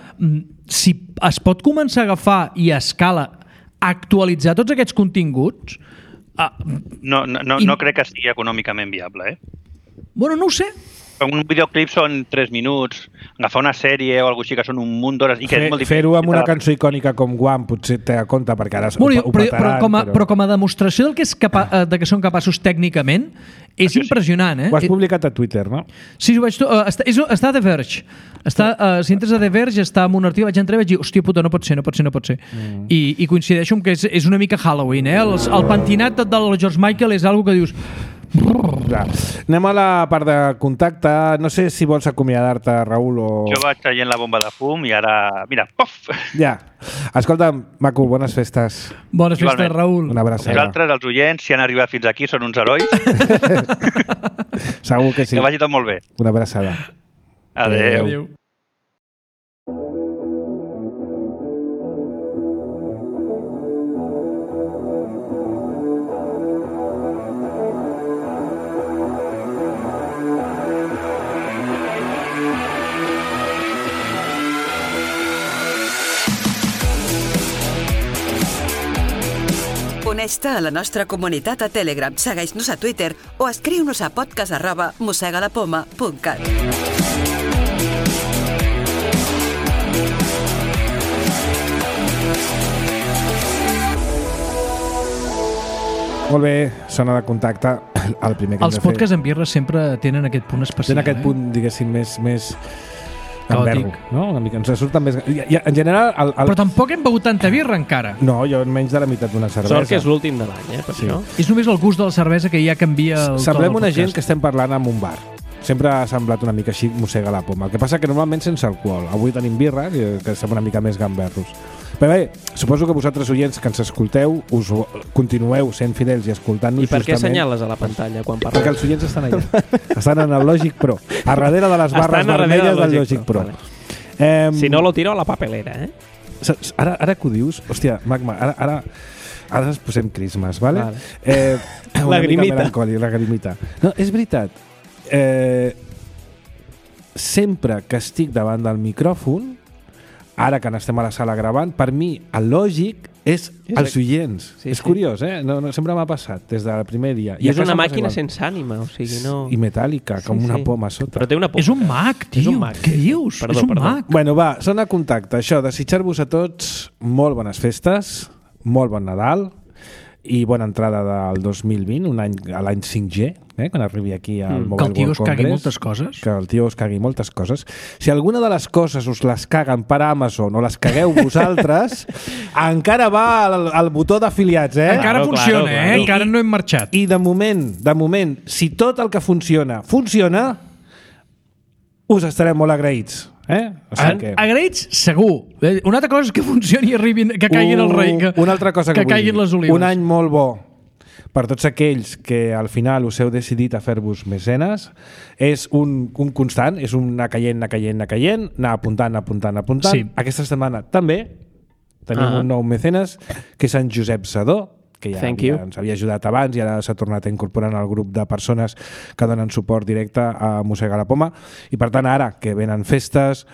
si es pot començar a agafar i a escala actualitzar tots aquests continguts... No crec que sigui econòmicament viable, Bueno, no ho sé. Un videoclip són 3 minuts, agafar una sèrie o alguna cosa així que són un munt d'hores i que és molt difícil. Fer-ho amb una cançó icònica com Guam potser té a compte, perquè ara ho petaran. Però com a demostració del de que són capaços tècnicament, és impressionant, eh? Ho has publicat a Twitter, no? Sí, ho vaig... Està a The Verge. Si entres a The Verge, està en un article, vaig entrar i vaig dir, hòstia puta, no pot ser. I coincideixo amb que és una mica Halloween, eh? El pentinat del George Michael és algo que dius... Anem a la part de contacte. No sé si vols acomiadar-te, Raül, o... Jo vaig traient la bomba de fum i ara... Mira, pof! Ja. Escolta, maco, bones festes. Bones festes, Raül. Una abraçada. Vosaltres, els oients, si han arribat fins aquí, són uns herois. Segur que sí. Que vagi tot molt bé. Una abraçada. Adéu. Uneix-te a la nostra comunitat a Telegram, segueix-nos a Twitter o escriu-nos a podcast@mossegalapoma.cat. Molt bé, zona de contacte. El primer que Els podcasts en birra sempre tenen aquest punt especial. Tenen aquest punt, diguéssim, més caòtic, no? Una mica, ens surten més... En general... Però tampoc hem begut tanta birra encara. No, jo menys de la meitat d'una cervesa. Sort que és l'últim de l'any, per això. És només el gust de la cervesa que ja canvia el to del podcast. Semblem una gent que estem parlant en un bar. Sempre ha semblat una mica així, mossega la poma. El que passa que normalment sense alcohol. Avui tenim birra, que sembla una mica més gamberros. Però bé, suposo que vosaltres, oients que ens escolteu, us continueu sent fidels i escoltant-nos justament. I per què justament... assenyales a la pantalla quan parles? Perquè els oients estan allà. Estan en el Logic Pro. A darrere de les barres vermelles del Logic Pro. Vale. Si no, lo tiro a la papelera, eh? Ara que ho dius, hòstia, Magma, ara ens posem crismes, ¿vale? Lagrimita. No, és veritat. Sempre que estic davant del micròfon, ara que n'estem a la sala gravant, per mi el lògic és els oients. És curiós, eh? No, sempre m'ha passat des del primer dia. I és una màquina sense ànima, o sigui, no... I metàl·lica, com una poma a sota. Però té una poma. És un mag, tio. Què dius? Perdó. És un mag. Bueno, va, zona de contacte. Això, desitjar-vos a tots molt bones festes, molt bon Nadal i bona entrada del 2020, un any a l'any 5G, quan arribi aquí al Mobile World Congress. Que el tio us cagui moltes coses. Que el tio us cagui moltes coses. Si alguna de les coses us les caguen per Amazon o les cagueu vosaltres, encara va al botó d'afiliats, eh? Encara funciona, eh? Encara no hem marxat. I de moment, si tot el que funciona, us estarem molt agraïts. O sigui que... Agraïts, segur. Una altra cosa és que funcioni i arribin, que caiguin el rei, una altra cosa que caiguin les olives. Un any molt bo per tots aquells que al final us heu decidit a fer-vos mecenes. És un constant, és un anar caient, anar apuntant. Sí. Aquesta setmana també tenim un nou mecenes, que és en Josep Sadó, que ja ens havia ajudat abans i ara s'ha tornat a incorporar en el grup de persones que donen suport directe a Mossega la Poma. I per tant, ara que venen festes,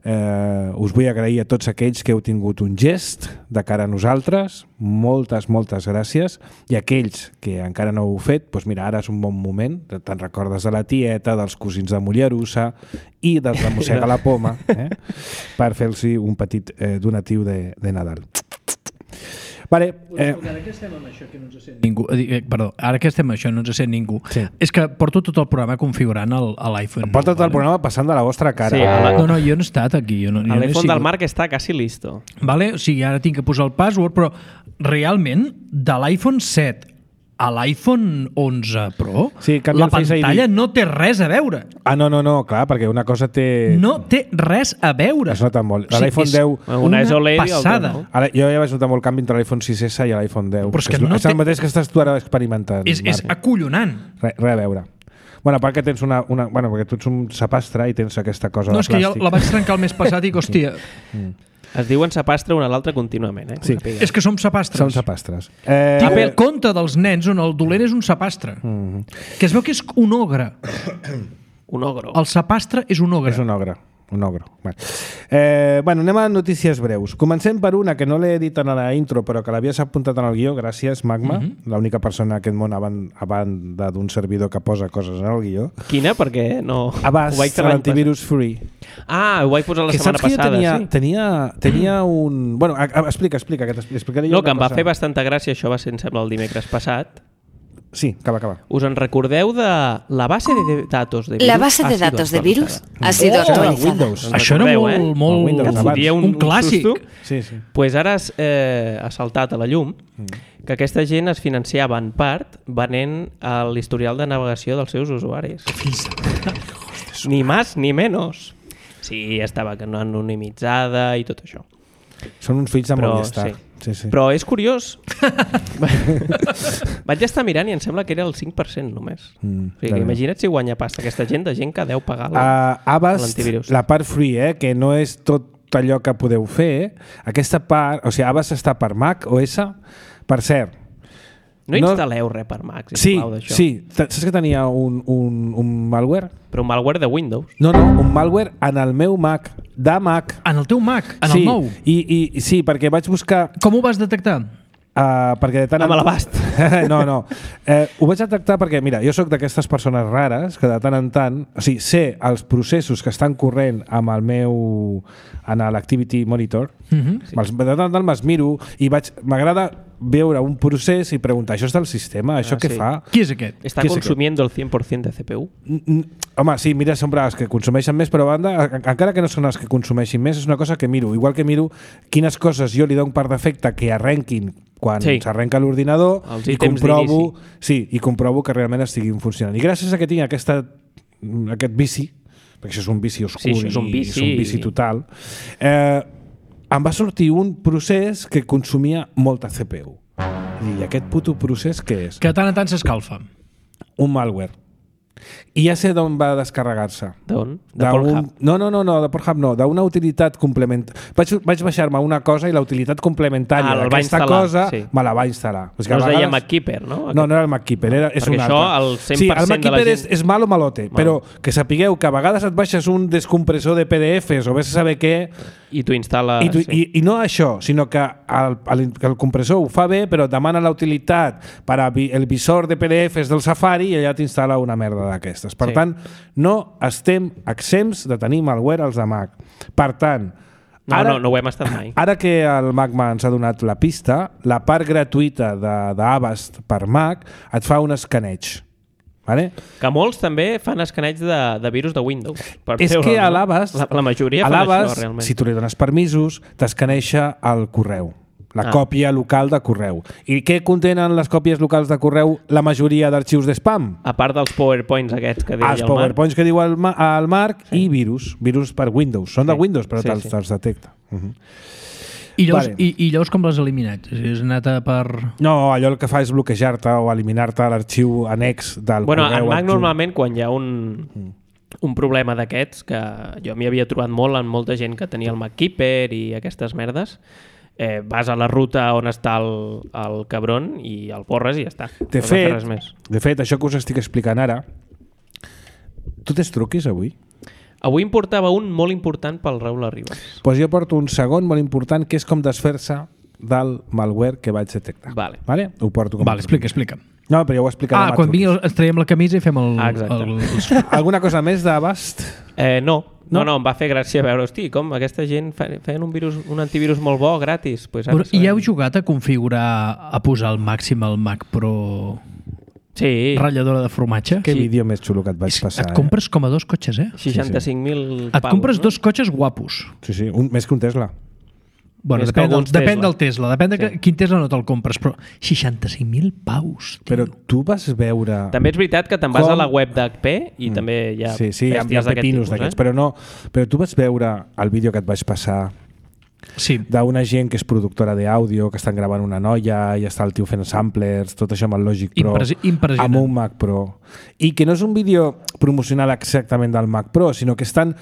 us vull agrair a tots aquells que heu tingut un gest de cara a nosaltres. Moltes gràcies. I aquells que encara no ho heu fet, doncs mira, ara és un bon moment. Te'n recordes de la tieta, dels cosins de Mollerussa i dels de Mossega la Poma, per fer-los un petit donatiu de Nadal. Vale, ara que estem amb això que no ens sent ningú, ara que estem amb això no ens sent ningú, és que porto tot el programa configurant a l'iPhone. Porta tot el programa passant de la vostra cara. No, jo no he estat aquí. L'iPhone del Marc està quasi listo. Vale? O sigui, ara tinc que posar el password, però realment de l'iPhone 7 a l'iPhone 11 Pro, la pantalla no té res a veure. No, clar, perquè una cosa té... No té res a veure. Es nota molt. L'iPhone 10... Una és OLED passada. I l'altra, no? Jo ja vaig notar molt canvi entre l'iPhone 6S i l'iPhone 10. Però és que és el mateix que estàs tu ara experimentant. És acollonant. Res a veure. Bueno, perquè tens Bueno, perquè tu ets un sapastre i tens aquesta cosa de plàstic. No, és que jo la vaig trencar el mes passat i, hòstia... Es diuen sapastre un a l'altre contínuament, eh? Sí. És que som sapastres. Som sapastres. El conte dels nens on el dolent és un sapastre. Que es veu que és un ogre. Un ogre. El sapastre és un ogre. És un ogre. un ogro. Bueno, anem a notícies breus. Comencem per una que no l'he dit en la intro, però que l'havies apuntat en el guió. Gràcies, Magma. L'única persona en aquest món a banda d'un servidor que posa coses en el guió. Quina? Perquè no... Avast, l'antivirus free. Ho vaig posar la setmana passada, sí. Tenia un... Bueno, explica, que t'explicaré jo no, que em va fer bastanta gràcia, això va ser, em sembla, el dimecres passat. Sí, acaba. ¿Us en recordeu de la base de datos de virus? La base de datos de virus ha sido actualizada. Això era molt un clàssic. Sí. Pues ara ha saltat a la llum que aquesta gent es financiava en part venent l'historial de navegació dels seus usuaris. Ni més ni menys. Sí, estava anonimitzada i tot això. Són uns fills de Movistar. Sí. Però és curiós. Vaig estar mirant i em sembla que era el 5% només. O sigui, imagina't si guanya pasta aquesta gent, de gent que deu pagar l'antivirus. La part free, que no és tot allò que podeu fer, aquesta part, o sigui, Avast està per Mac OS, per cert. No instal·leu res per Mac, sisplau, d'això. Sí. Saps que tenia un malware? Però un malware de Windows. No, un malware en el meu Mac, de Mac. En el teu Mac? En el nou? Sí, perquè vaig buscar... Com ho vas detectar? Perquè de tant amb l'abast. No. Ho vaig detectar perquè, mira, jo sóc d'aquestes persones rares que de tant en tant, o sigui, sé els processos que estan corrent amb el meu en l'Activity Monitor, de tant en tant me'ls miro i m'agrada veure un procés i preguntar, això és del sistema, això què fa? Qui és aquest? Està consumiendo el 100% de CPU? Home, sí, mira sempre els que consumeixen més, però a banda, encara que no són els que consumeixin més, és una cosa que miro. Igual que miro quines coses jo li dono per defecte que arrenquin quan s'arrenca l'ordinador i comprovo que realment estiguin funcionant. I gràcies a que tinc aquest vici, perquè això és un vici obscur és un vici total, em va sortir un procés que consumia molta CPU. I aquest puto procés què és? Que de tant en tant s'escalfa. Un malware. I ja sé d'on va descarregar-se. D'on? De Pornhub? No, de Pornhub no, d'una utilitat complementària. Vaig baixar-me una cosa i la utilitat complementària d'aquesta cosa me la va instal·lar. No es deia MacKeeper, no? No era el MacKeeper, és un altre. Perquè això, el 100% sí, el MacKeeper és malo malote, però que sapigueu que a vegades et baixes un descompressor de PDFs o vés a saber què... I t'ho instal·la... I no això, sinó que el compressor ho fa bé, però demana la utilitat per al visor de PDFs del Safari i allà t'instal·la una merda d'aquestes. Per tant, no estem exempts de tenir malware als de Mac. Per tant, no ho hem estat mai. Ara que el Magma ens ha donat la pista, la part gratuïta d'Avast per Mac et fa un escaneig. Vale? Que molts també fan escaneig de virus de Windows. És que a l'Avast, la majoria fan això, realment. Si tu li dones permisos, t'escaneixa el correu. La còpia local de correu. I què contenen les còpies locals de correu la majoria d'arxius de spam? A part dels PowerPoints aquests que diu el Marc. Els PowerPoints que diu el Marc i virus per Windows. Són de Windows, però te'ls detecta. I llavors com l'has eliminat? Has anat per... No, allò el que fa és bloquejar-te o eliminar-te l'arxiu annex del correu. En Mac normalment quan hi ha un problema d'aquests, que jo m'hi havia trobat molt en molta gent que tenia el MacKeeper i aquestes merdes, vas a la ruta on està el cabron i el borres i ja està. De fet, això que us estic explicant ara, tu tens truquis avui? Avui em portava un molt important pel Raül Arribas. Doncs jo porto un segon molt important que és com desfer-se del malware que vaig detectar. Vale. Ho porto com explica. No, però ja ho explicarem. Quan vingui ens traiem la camisa i fem el... Alguna cosa més d'Avast? No, em va fer gràcia veure, hosti, com aquesta gent feien un antivirus molt bo, gratis. I heu jugat a configurar, a posar al màxim el Mac Pro... Sí. Ratlladora de formatge. Que vídeo més xulo que et vaig passar. Et compres com a 2 cotxes, 65.000 paus. Et compres 2 cotxes guapos. Sí, més que un Tesla. Bueno, depèn del Tesla. Depèn de quin Tesla no te'l compres, però 65.000 paus. Tio. Però tu vas veure... També és veritat que te'n vas a la web d'HP i també hi ha hi ha pepinos d'aquests, però tu vas veure el vídeo que et vaig passar d'una gent que és productora d'àudio, que estan gravant una noia i està el tio fent samplers, tot això amb el Logic Pro, amb un Mac Pro, i que no és un vídeo promocional exactament del Mac Pro, sinó que estan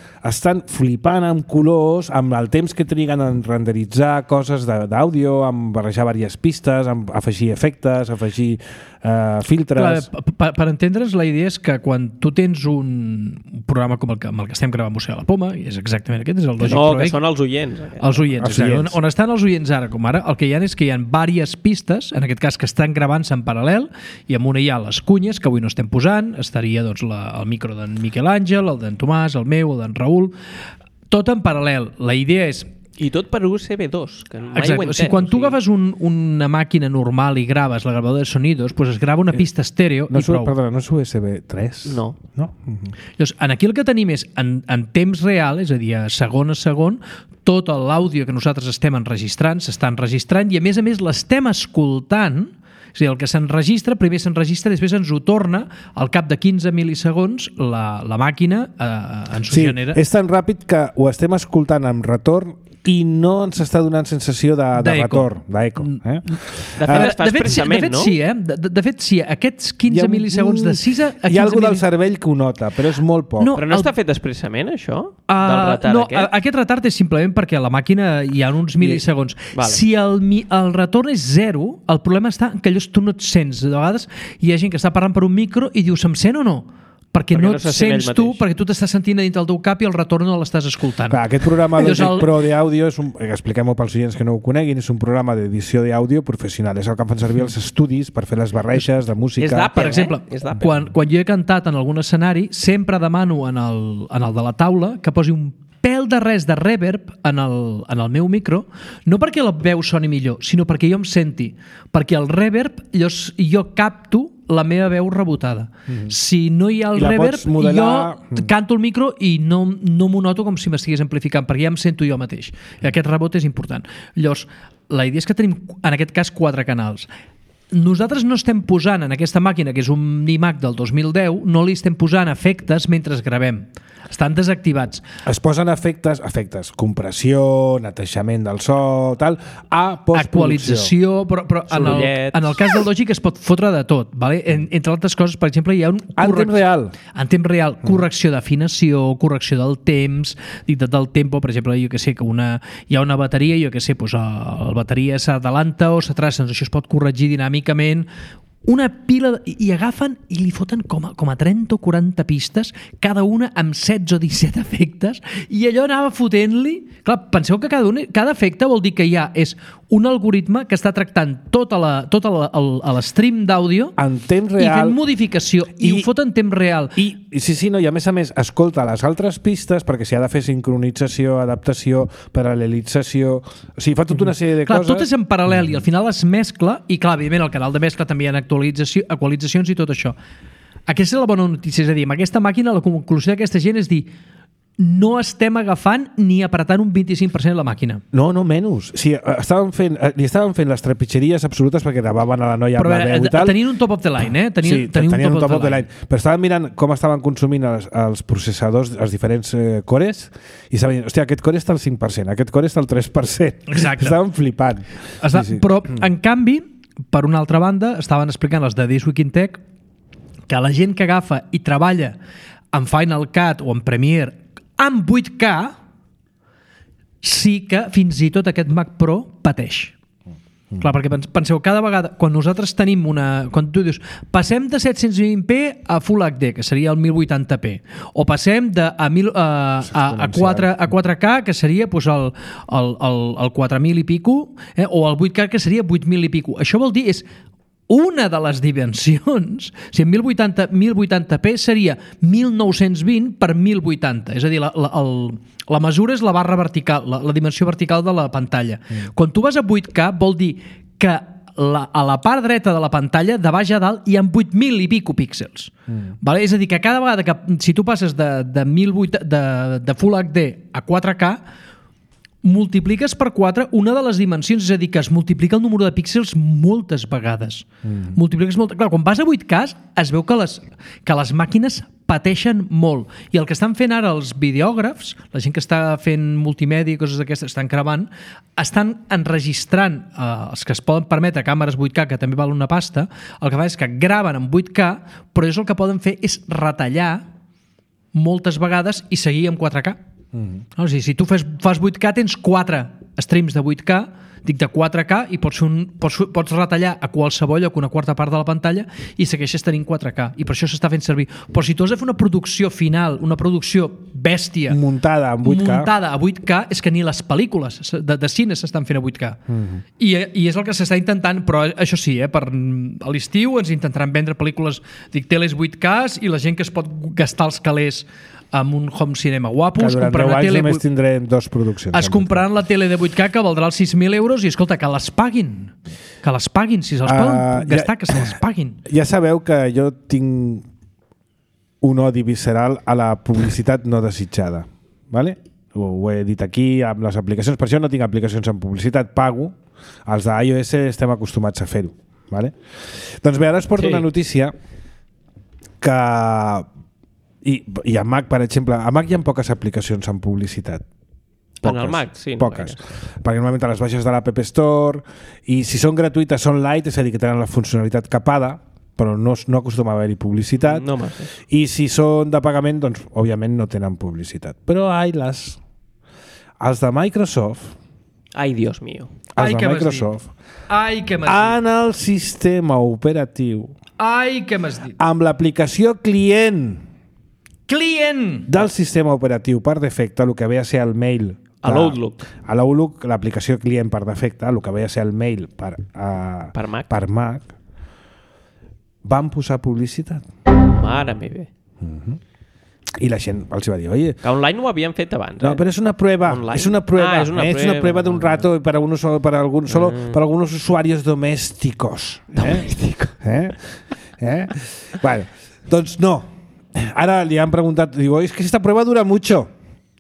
flipant amb colors, amb el temps que triguen en renderitzar coses d'àudio, amb barrejar diverses pistes, amb afegir efectes, afegir filtres... Clar, per entendre's, la idea és que quan tu tens un programa com el que estem gravant Mossega la Poma, i és exactament aquest, és el Logic Pro X. Que són els oients. Els oients, exacte. On estan els oients ara, com ara, el que hi ha és que hi ha diverses pistes, en aquest cas que estan gravant-se en paral·lel, i amb una hi ha les cunyes, que avui no estem posant, estaria doncs, el micro d'en Miquel Àngel, el d'en Tomàs, el meu, el d'en Raül, tot en paral·lel. La idea és... I tot per USB 2, que mai exacte. ho he entès. O sigui, quan tu agafes una màquina normal i graves la gravadora de sonidos, pues es grava una pista estèreo i prou. Perdona, no és USB 3? No. Llavors, aquí el que tenim és, en temps real, és a dir, segon a segon, tot l'àudio que nosaltres estem enregistrant, s'està enregistrant i, a més, l'estem escoltant. És a dir, el que s'enregistra, primer s'enregistra, després ens ho torna, al cap de 15 mil·lisegons, la màquina ens ho genera. És tan ràpid que ho estem escoltant amb retorn i no ens està donant sensació de retorn, d'eco. De fet, es fa expressament, no? De fet, sí. Aquests 15 mil·lisegons de 6 a 15 hi ha alguna del cervell que ho nota, però és molt poc. Però no està fet expressament, això? Del retard aquest? Aquest retard és simplement perquè a la màquina hi ha uns mil·lisegons. Vale. Si el retorn és 0, el problema està que allò tu no et sents. De vegades hi ha gent que està parlant per un micro i diu, se'm sent o no? Perquè no et sents tu, perquè tu t'estàs sentint a dintre del teu cap i el retorn no l'estàs escoltant. Clar, aquest programa Logic Pro d'àudio, expliquem-ho pels oients que no ho coneguin, és un programa d'edició d'àudio professional. És el que fan servir els estudis per fer les barreges de música. És d'Apple, per exemple, quan jo he cantat en algun escenari, sempre demano en el de la taula que posi un pèl de res de reverb en el meu micro, no perquè la veu soni millor, sinó perquè jo em senti. Perquè el reverb, jo capto la meva veu rebotada. Si no hi ha el reverb, jo canto el micro i no m'ho noto com si m'estigués amplificant, perquè ja em sento jo mateix. I aquest rebot és important. Llavors, la idea és que tenim, en aquest cas, 4 canals. Nosaltres no estem posant en aquesta màquina, que és un iMac del 2010, no li estem posant efectes mentre gravem. Estan desactivats. Es posen efectes, compressió, netejament del so, tal, a postproducció. Actualització, però en el cas del Logic es pot fotre de tot. Vale? Entre altres coses, per exemple, hi ha un... En temps real. En temps real. Correcció d'afinació, correcció del temps, dictat del tempo, per exemple, jo que sé, que hi ha una bateria, jo que sé, doncs la bateria s'adalanta o s'atrassa, doncs això es pot corregir dinàmicament, una pila, i agafen i li foten com a 30 o 40 pistes, cada una amb 16 o 17 efectes, i allò anava fotent-li... Clar, penseu que cada efecte vol dir que hi ha un algoritme que està tractant tot l'stream d'àudio en temps real, i fent modificació, i ho fot en temps real. I a més, escolta les altres pistes, perquè s'hi ha de fer sincronització, adaptació, paral·lelització... O sigui, fa tota una sèrie de coses... Tot és en paral·lel i al final es mescla, i clar, evidentment, al canal de mescla també hi ha actualitzacions i tot això. Aquesta és la bona notícia, és a dir, amb aquesta màquina la conclusió d'aquesta gent és dir, no estem agafant ni apretant un 25% de la màquina. No, menys. Sí, li estaven fent les trepitgeries absolutes perquè gravaven a la noia amb la veu i tal. Tenien un top of the line, tenien un top of the line. Però estaven mirant com estaven consumint els processadors, els diferents cores, i estaven dient, hòstia, aquest core està al 5%, aquest core està al 3%. Exacte. Estaven flipant. Però, en canvi, per una altra banda, estaven explicant els de This Week in Tech que la gent que agafa i treballa en Final Cut o en Premiere amb 8K, sí que fins i tot aquest Mac Pro pateix. Clar, perquè penseu, cada vegada, quan nosaltres tenim quan tu dius, passem de 720p a Full HD, que seria el 1080p, o passem a 4K, que seria doncs, el 4.000 i pico, o el 8K, que seria 8.000 i pico. Això vol dir, és una de les dimensions, si en 1080p seria 1920 per 1080, és a dir, la mesura és la barra vertical, la dimensió vertical de la pantalla. Quan tu vas a 8K vol dir que a la part dreta de la pantalla, de baix a dalt, hi ha 8.000 i pico píxels. Vale? És a dir, que cada vegada que si tu passes de Full HD a 4K, multipliques per 4 una de les dimensions, és a dir, que es multiplica el número de píxels moltes vegades. Clar, quan vas a 8K es veu que les màquines pateixen molt. I el que estan fent ara els videògrafs, la gent que està fent multimèdia i coses d'aquestes, estan gravant, estan enregistrant els que es poden permetre càmeres 8K, que també val una pasta, el que fa és que graven en 8K, però el que poden fer és retallar moltes vegades i seguir amb 4K. O sigui, si tu fas 8K, tens 4 streams de 8K, Dic de 4K i pots retallar a qualsevol lloc una quarta part de la pantalla i segueixes tenint 4K i per això s'està fent servir. Però si tu has de fer una producció final, una producció bèstia muntada a 8K, és que ni les pel·lícules de cine s'estan fent a 8K. I és el que s'està intentant, però això sí, per a l'estiu ens intentaran vendre pel·lícules, dic, teles 8K i la gent que es pot gastar els calés amb un home cinema guapo, que durant 10 anys només tindrem 2 produccions. Es compraran la tele de 8K que valdrà els 6.000 euros i escolta, que les paguin. Que les paguin, si se'ls poden gastar, que se les paguin. Ja sabeu que jo tinc un odi visceral a la publicitat no desitjada. ¿Vale? Ho he dit aquí amb les aplicacions, per això no tinc aplicacions amb publicitat, pago. Els d'iOS estem acostumats a fer-ho. ¿Vale? Doncs bé, ara us porto una notícia que... I a Mac, per exemple, a Mac hi ha poques aplicacions amb publicitat. En el Mac, sí. Poques. Perquè normalment les baixes de l'App Store i si són gratuïtes són light, és a dir, que tenen la funcionalitat capada, però no acostuma a haver-hi publicitat. No massa. I si són de pagament, doncs, òbviament no tenen publicitat. Però, els de Microsoft... Ai, Dios mío. Els de Microsoft... en el sistema operatiu... què m'has dit? Amb l'aplicació client del sistema operatiu per defecte, el que ve a ser el mail a l'Outlook. A l'Outlook, l'aplicació client per defecte, el que ve a ser el mail per Mac, van posar publicitat. Mare meva. I la gent els va dir, oye... Que online ho havien fet abans, No, però és una prueba. És una prueba d'un rato para algunos usuarios domésticos. Bueno, doncs no. Ara li han preguntat, digo, és que esta prueba dura mucho.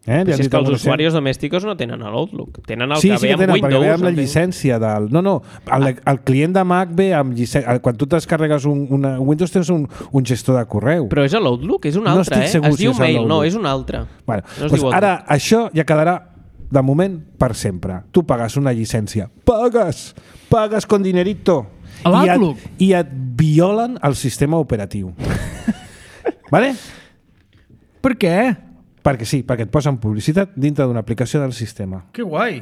Però si és que els usuaris domèstics no tenen l'Outlook, tenen el que ve amb Windows. Perquè ve amb la llicència del... No, el client de Mac ve amb llicència. Quan tu descarregues un Windows tens un gestor de correu. Però és l'Outlook, és un altre, es diu mail, no, és un altre. Bueno, doncs ara això ja quedarà de moment per sempre. Tu pagues una llicència. Pagues con dinerito. I et violen el sistema operatiu. Vale? Per què? Perquè sí, perquè et posen publicitat dintre d'una aplicació del sistema. Que guai.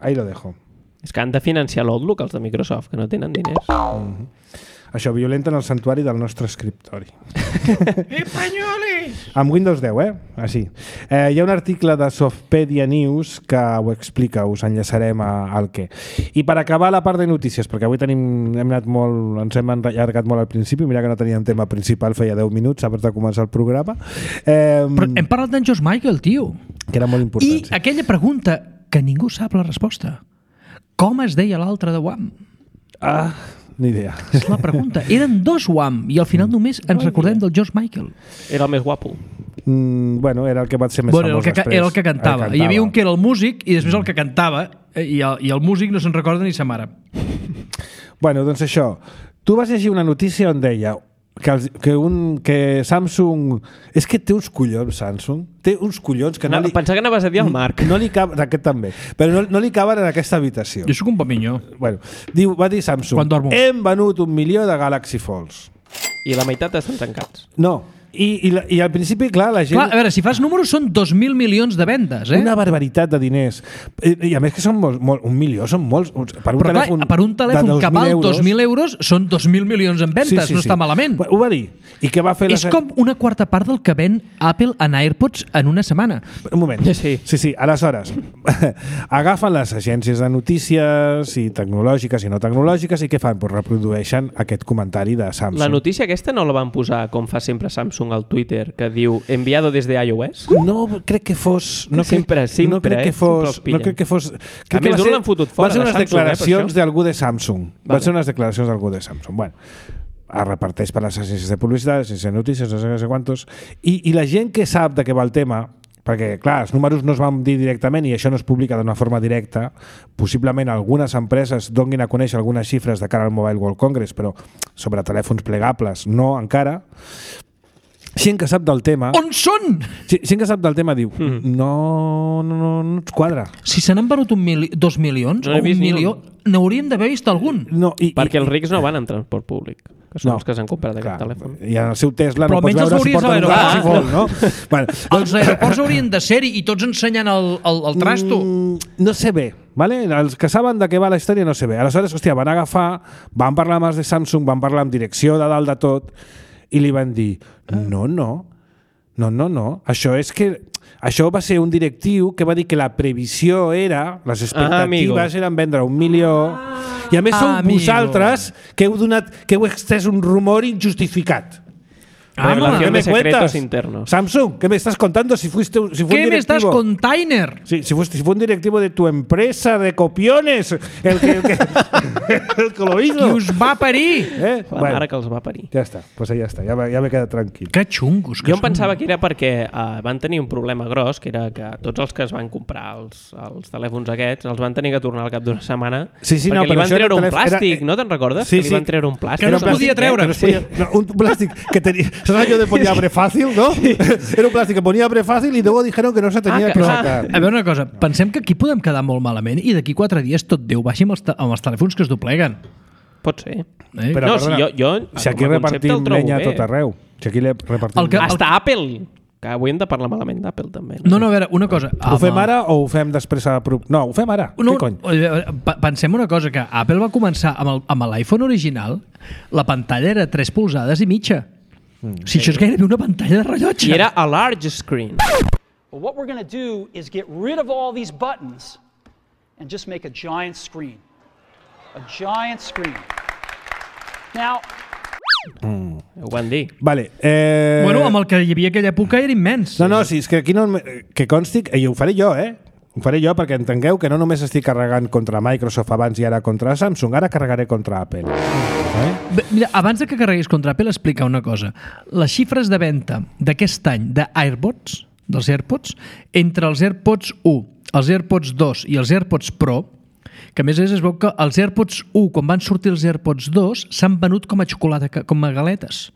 Ahí lo dejo. És que han de financiar l'Outlook, els de Microsoft, que no tenen diners. Això violenten el santuari del nostre escriptori. Espanyolis! Amb Windows 10, Així. Hi ha un article de Softpedia News que ho explica, us enllaçarem al què. I per acabar la part de notícies, perquè avui ens hem allargat molt al principi, mira que no teníem tema principal, feia 10 minuts abans de començar el programa. Però hem parlat d'en George Michael, tio. Que era molt important. I aquella pregunta que ningú sap la resposta. Com es deia l'altre de Wham? Ni idea. És la pregunta. Eren 2 Wham i al final només ens recordem del George Michael. Era el més guapo. Bueno, era el que va ser més famós després. Era el que cantava. Hi havia un que era el músic i després el que cantava i el músic no se'n recorda ni sa mare. Bueno, doncs això. Tu vas llegir una notícia on deia que Samsung... És que té uns collons, Samsung. Té uns collons que Pensava que anaves a dir el Marc. No li caben, aquest també. Però no li caben en aquesta habitació. Jo soc un paminyó. Bueno, va dir Samsung, hem venut 1 milió de Galaxy Folds. I la meitat estan tancats. No. I al principi, clar, la gent... Clar, a veure, si fas números són 2.000 milions de vendes, Una barbaritat de diners. I a més que són 1 milió, són molts. Per un telèfon que val 2.000 euros són 2.000 milions en vendes, no està malament. Ho va dir. I què va fer És com una quarta part del que ven Apple en AirPods en una setmana. Un moment. Sí. Aleshores, agafen les agències de notícies i tecnològiques i no tecnològiques i què fan? Pues reprodueixen aquest comentari de Samsung. La notícia aquesta no la van posar, com fa sempre Samsung, al Twitter, que diu enviado desde iOS? No crec que fos... No crec que fos... A més, no l'han fotut fora. Va ser unes declaracions d'algú de Samsung. Va ser unes declaracions d'algú de Samsung. Bueno, es reparteix per les agències de publicitat, agències de notícies, no sé quantos, i la gent que sap de què va el tema, perquè, clar, els números no es van dir directament i això no es publica d'una forma directa, possiblement algunes empreses donguin a conèixer algunes xifres de cara al Mobile World Congress, però sobre telèfons plegables no encara. Gent que sap del tema... On són? Gent que sap del tema diu no ens quadra. Si se n'han venut 2 milions o 1 milió, n'hauríem d'haver vist algun. Perquè els rics no van en transport públic, que són els que s'han comprat aquest telèfon. I en el seu Tesla no pots veure si porten un Galaxy Fold, no? Els aeroports haurien de ser-hi i tots ensenyant el trasto. No sé bé. ¿vale? Els que saben de què va la història no sé bé. Aleshores, hòstia, van agafar, van parlar amb els de Samsung, van parlar amb direcció de dalt de tot i li van dir, no. Això és que... Això va ser un directiu que va dir que la previsió era, les expectatives eren vendre 1 milió, i a més sou vosaltres que heu extès un rumor injustificat. Revelación de secretos internos. Samsung, ¿qué me estás contando? Si fue un directivo. ¿Qué me estás container? Sí, si fue un directivo de tu empresa de copiones el que lo hizo. Qui us va parir. La mare que els va parir. Ja està, pues ja està, ja m'he quedat tranquil. Que xungos que jo em pensava que era perquè van tenir un problema gros, que era que tots els que es van comprar els telèfons aquests els van tenir que tornar al cap d'una setmana perquè li van treure un plàstic, no te'n recordes? Sí, que li van treure un plàstic. Que no es podia treure. Un plàstic que tenia... ¿Sabes aquello de ponía abre fácil, no? Sí. Era un plástico que ponía abre fácil y luego dijeron que no se tenía que sacar. A veure una cosa, pensem que aquí podem quedar molt malament i d'aquí 4 dies tot Déu baixi amb els telèfons que es dobleguen. Pot ser. Però, no, perdona, si aquí repartim llenya a tot arreu. Si aquí repartim... Hasta Apple, que avui hem de parlar malament d'Apple també. No, a veure, una cosa... Ho fem ara o ho fem després a... No, ho fem ara. No, què cony? Pensem una cosa, que Apple va començar amb l'iPhone original, la pantalla era 3 polzades i mitja. Si això és gairebé una pantalla de rellotge. I era a large screen. Well, what we're going to do is get rid of all these buttons and just make a giant screen. A giant screen. Now... Ho van dir. Vale. Bueno, amb el que hi havia aquella època era immens. No, sí, és que aquí no... Que consti... I ho faré jo, Ho faré jo perquè entengueu que no només estic carregant contra Microsoft abans i ara contra Samsung, ara carregaré contra Apple. Bé, mira, abans de que carreguis contra Apple, explica una cosa. Les xifres de venda d'aquest any d'AirPods, dels AirPods, entre els AirPods 1, els AirPods 2 i els AirPods Pro, que a més es veu que els AirPods 1, quan van sortir els AirPods 2, s'han venut com a xocolata, com a galetes.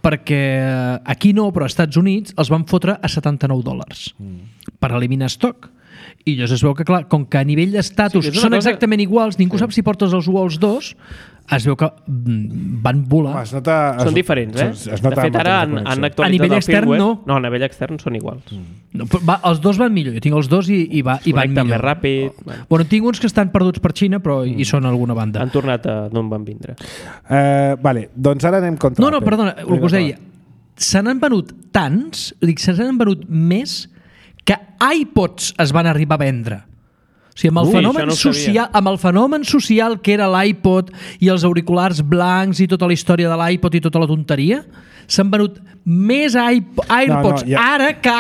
Perquè aquí no, però als Estats Units els van fotre a $79 per eliminar estoc. I llavors es veu que, clar, com que a nivell d'estatus són exactament iguals, ningú sap si portes els 1 o els 2, es veu que van volar. Són diferents, De fet, ara han actualitzat a nivell extern, no. No, a nivell extern són iguals. No, els 2 van millor. Jo tinc els 2 i van millor. Més ràpid. Bueno, tinc uns que estan perduts per Xina, però hi són a alguna banda. Han tornat d'on van vindre. Vale, doncs ara anem contra Apple. No, perdona, el que us deia. Se n'han venut tants, se n'han venut més que iPods es van arribar a vendre. O sigui, amb el fenomen social que era l'iPod i els auriculars blancs i tota la història de l'iPod i tota la tonteria, s'han venut més AirPods ara que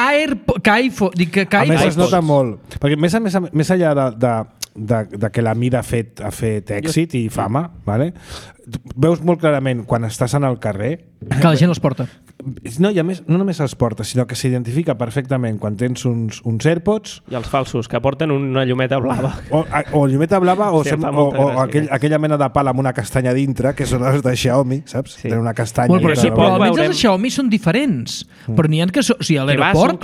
iPhone. A més es nota molt, perquè més enllà de que la mida ha fet èxit i fama, vale? Veus molt clarament quan estàs en el carrer que la gent els porta. No, i a més, no només els porta, sinó que s'identifica perfectament quan tens uns AirPods... I els falsos, que porten una llumeta blava. O llumeta blava o aquella mena de pal amb una castanya dintre, que són els de Xiaomi, saps? Sí. Tenen una castanya... Bueno, però almenys els de Xiaomi són diferents. Però n'hi ha que... O sigui, a l'aeroport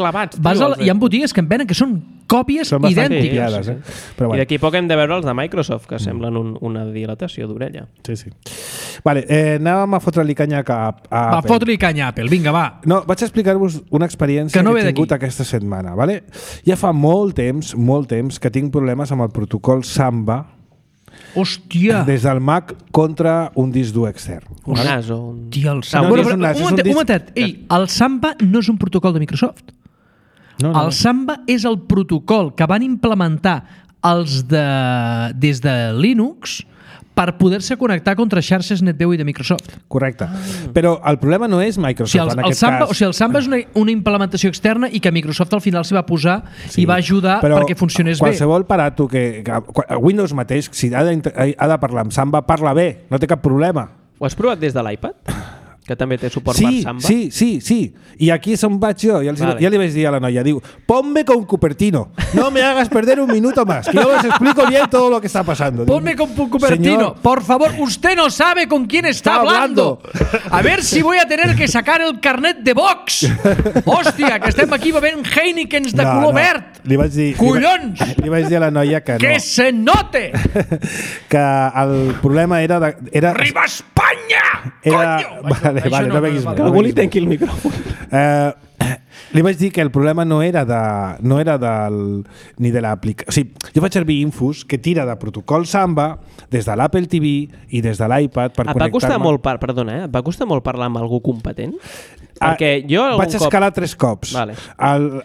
hi ha botigues que en venen que són còpies idèntiques. Però bueno. I d'aquí poc hem de veure els de Microsoft, que semblen una dilatació d'orella. Sí. Vale, anàvem a fotre-li canya a Apple. Va, fotre-li canya a Apple, vinga, va. No, vaig explicar-vos una experiència que he tingut aquesta setmana. Vale? Ja fa molt temps que tinc problemes amb el protocol Samba. Hòstia! Des del Mac contra un disc dur extern. Un NAS o un... Hòstia, el Samba... Un momentet. El Samba no és un protocol de Microsoft. No. El Samba és el protocol que van implementar des de Linux per poder-se connectar contra xarxes NetBEUI de Microsoft. Correcte. Però el problema no és Microsoft en aquest cas. O sigui, el Samba és una implementació externa i que Microsoft al final s'hi va posar i va ajudar perquè funcionés bé. Qualsevol aparato que Windows mateix, si ha de parlar amb Samba, parla bé, no té cap problema. Ho has provat des de l'iPad? Que també té suport per Samba? Sí. I aquí és on vaig jo. Ja li vaig dir a la noia, diu, ponme con Cupertino, no me hagas perder un minuto más, que yo les explico bien todo lo que está pasando. Ponme con Cupertino. Señor, por favor, usted no sabe con quién está hablando. A ver si voy a tener que sacar el carnet de Vox. Hòstia, que estem aquí bevent Heinekens de color verd. Li vaig dir, collons! Li vaig dir a la noia que no. Que se note! Que el problema era... Arriba Espanya! Coño! Vale, no beguis més. Que algú li tanqui el micròfon. Li vaig dir que el problema no era ni de l'aplicació. O sigui, jo faig servir Infus, que tira de protocol Samba des de l'Apple TV i des de l'iPad per connectar-me. Et va costar molt parlar amb algú competent? Perquè jo vaig escalar 3 cops. Vale.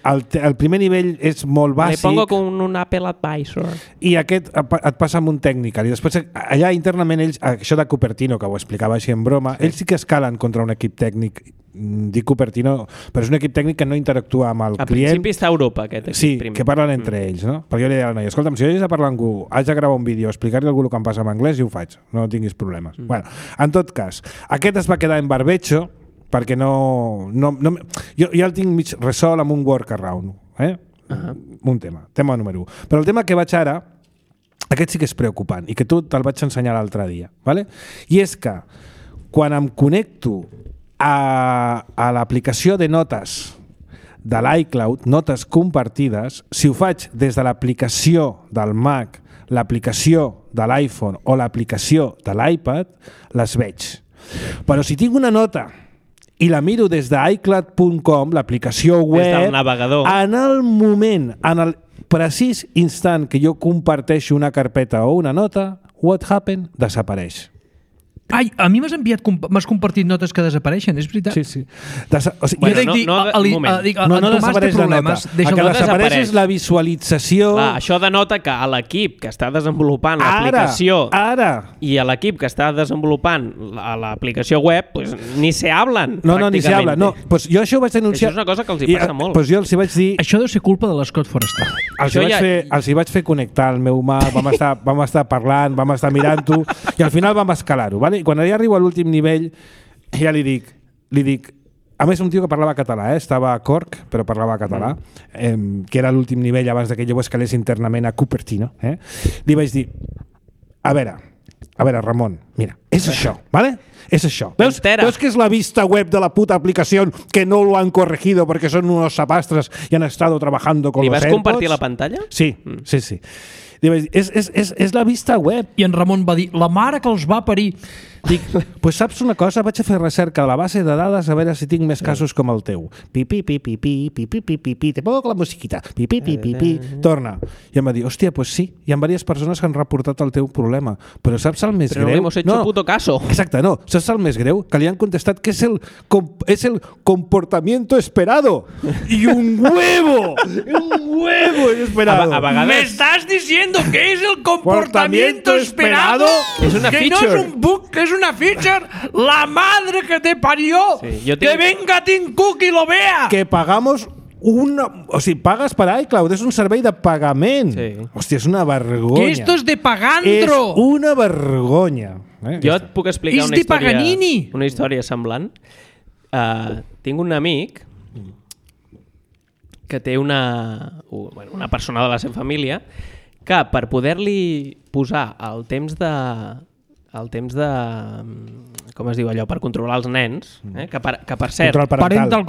El primer nivell és molt bàsic. Me pongo con un Apple Advisor. I aquest et passa amb un tècnic. I després, allà internament, ells, això de Cupertino, que ho explicava així en broma, ells sí que escalen contra un equip tècnic. Dic Cupertino, però és un equip tècnic que no interactua amb el client. A principi està a Europa, aquest equip. Sí, que parlen entre ells, no? Perquè jo li deia a la noia, escolta'm, si jo haig de parlar amb algú, haig de gravar un vídeo, explicar-li a algú el que em passa en anglès i ho faig, no tinguis problemes. Bueno, en tot cas, aquest es va quedar en barbecho perquè jo ja el tinc mig resol amb un workaround, un tema número 1. Però el tema que vaig ara, aquest sí que és preocupant i que tu te'l vaig ensenyar l'altre dia, ¿vale? I és que quan em connecto a l'aplicació de notes de l'iCloud, notes compartides, si ho faig des de l'aplicació del Mac, l'aplicació de l'iPhone o l'aplicació de l'iPad, les veig. Però si tinc una nota i la miro des d'iCloud.com, l'aplicació web, des del navegador, en el moment, en el precís instant que jo comparteixo una carpeta o una nota, what happened? Desapareix. Ai, a mi m'has compartit notes que desapareixen, és veritat? Sí, sí. O sigui, no desapareix la nota. El que desapareix és la visualització. Clar, això denota que a l'equip que està desenvolupant l'aplicació i a l'equip que està desenvolupant l'aplicació web, pues, ni se hablen. No, ni se hablen. No, pues jo això ho vaig denunciar. Això és una cosa que els hi passa molt. Pues jo els hi vaig dir... Això deu ser culpa de l'Scott Forrester. Els hi vaig fer connectar el meu Mac, vam estar parlant, vam estar mirant-ho i al final vam escalar-ho, vale? I quan ja arribo a l'últim nivell, ja li dic, a més un tio que parlava català, estava a Cork, però parlava català, que era l'últim nivell abans que jo ho escalés internament a Cupertino. Li vaig dir, a veure, Ramon, mira, és això, ¿vale? És això. Veus que és la vista web de la puta aplicació que no lo han corregido porque son unos sapastres y han estado trabajando con los AirPods? ¿Li vas compartir la pantalla? Sí. És la vista web. I en Ramon va dir, la mare que els va parir. Dic, pues saps una cosa? Vaig a fer recerca a la base de dades a veure si tinc més casos com el teu. Pipi, pipi, pipi, pipi, pipi, te pongo la musiquita. Pipi, pipi, pipi, torna. I em va dir, hòstia, pues sí, hi ha diverses persones que han reportat el teu problema. Però saps el més greu? Però no hemos hecho puto caso. Exacte, no. Saps el més greu? Que li han contestat que és el comportamiento esperado. I un huevo esperado. A vegades... ¿Me estás diciendo que es el comportamiento esperado? És una feature. Que no és un bug, que és una feature. La madre que te parió. Sí, que venga Tim Cook y lo vea. Que pagamos o sigui, pagues per iCloud, és un servei de pagament. Sí. Hòstia, és una vergonya. Que esto es de pagandro. És una vergonya. Jo et puc explicar una història semblant. Tinc un amic que té una persona de la seva família que per poder-li posar el temps de com es diu allò, per controlar els nens, que per cert, el parental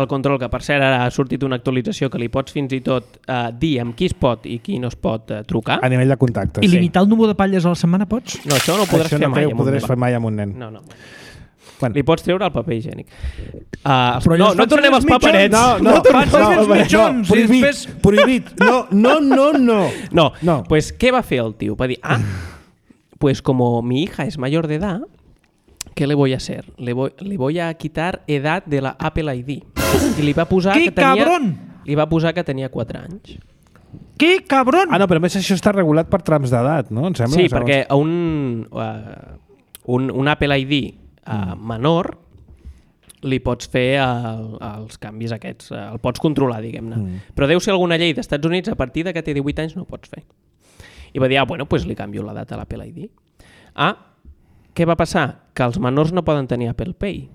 control, que per cert ara ha sortit una actualització que li pots fins i tot dir amb qui es pot i qui no es pot trucar. A nivell de contactes. I limitar el número de palles a la setmana pots? No, això no ho podràs fer mai amb un nen. No. Bueno. Li pots treure el paper higiènic. No tornem als paperets. No, prohibit. No. Pues què va fer el tio? Va dir, pues como mi hija es mayor de edad, ¿qué le voy a hacer? Le voy a quitar edad de la Apple ID. I li va posar que tenia 4 anys. Que cabron! No, però a més això està regulat per trams d'edat, no? Em sembla, sí, perquè a un Apple ID menor li pots fer els canvis aquests, el pots controlar, diguem-ne. Però deu ser alguna llei d'Estats Units, a partir de que té 18 anys no ho pots fer. I va dir, bueno, pues li canvio la data a l'Apple ID. Què va passar? Que els menors no poden tenir Apple Pay.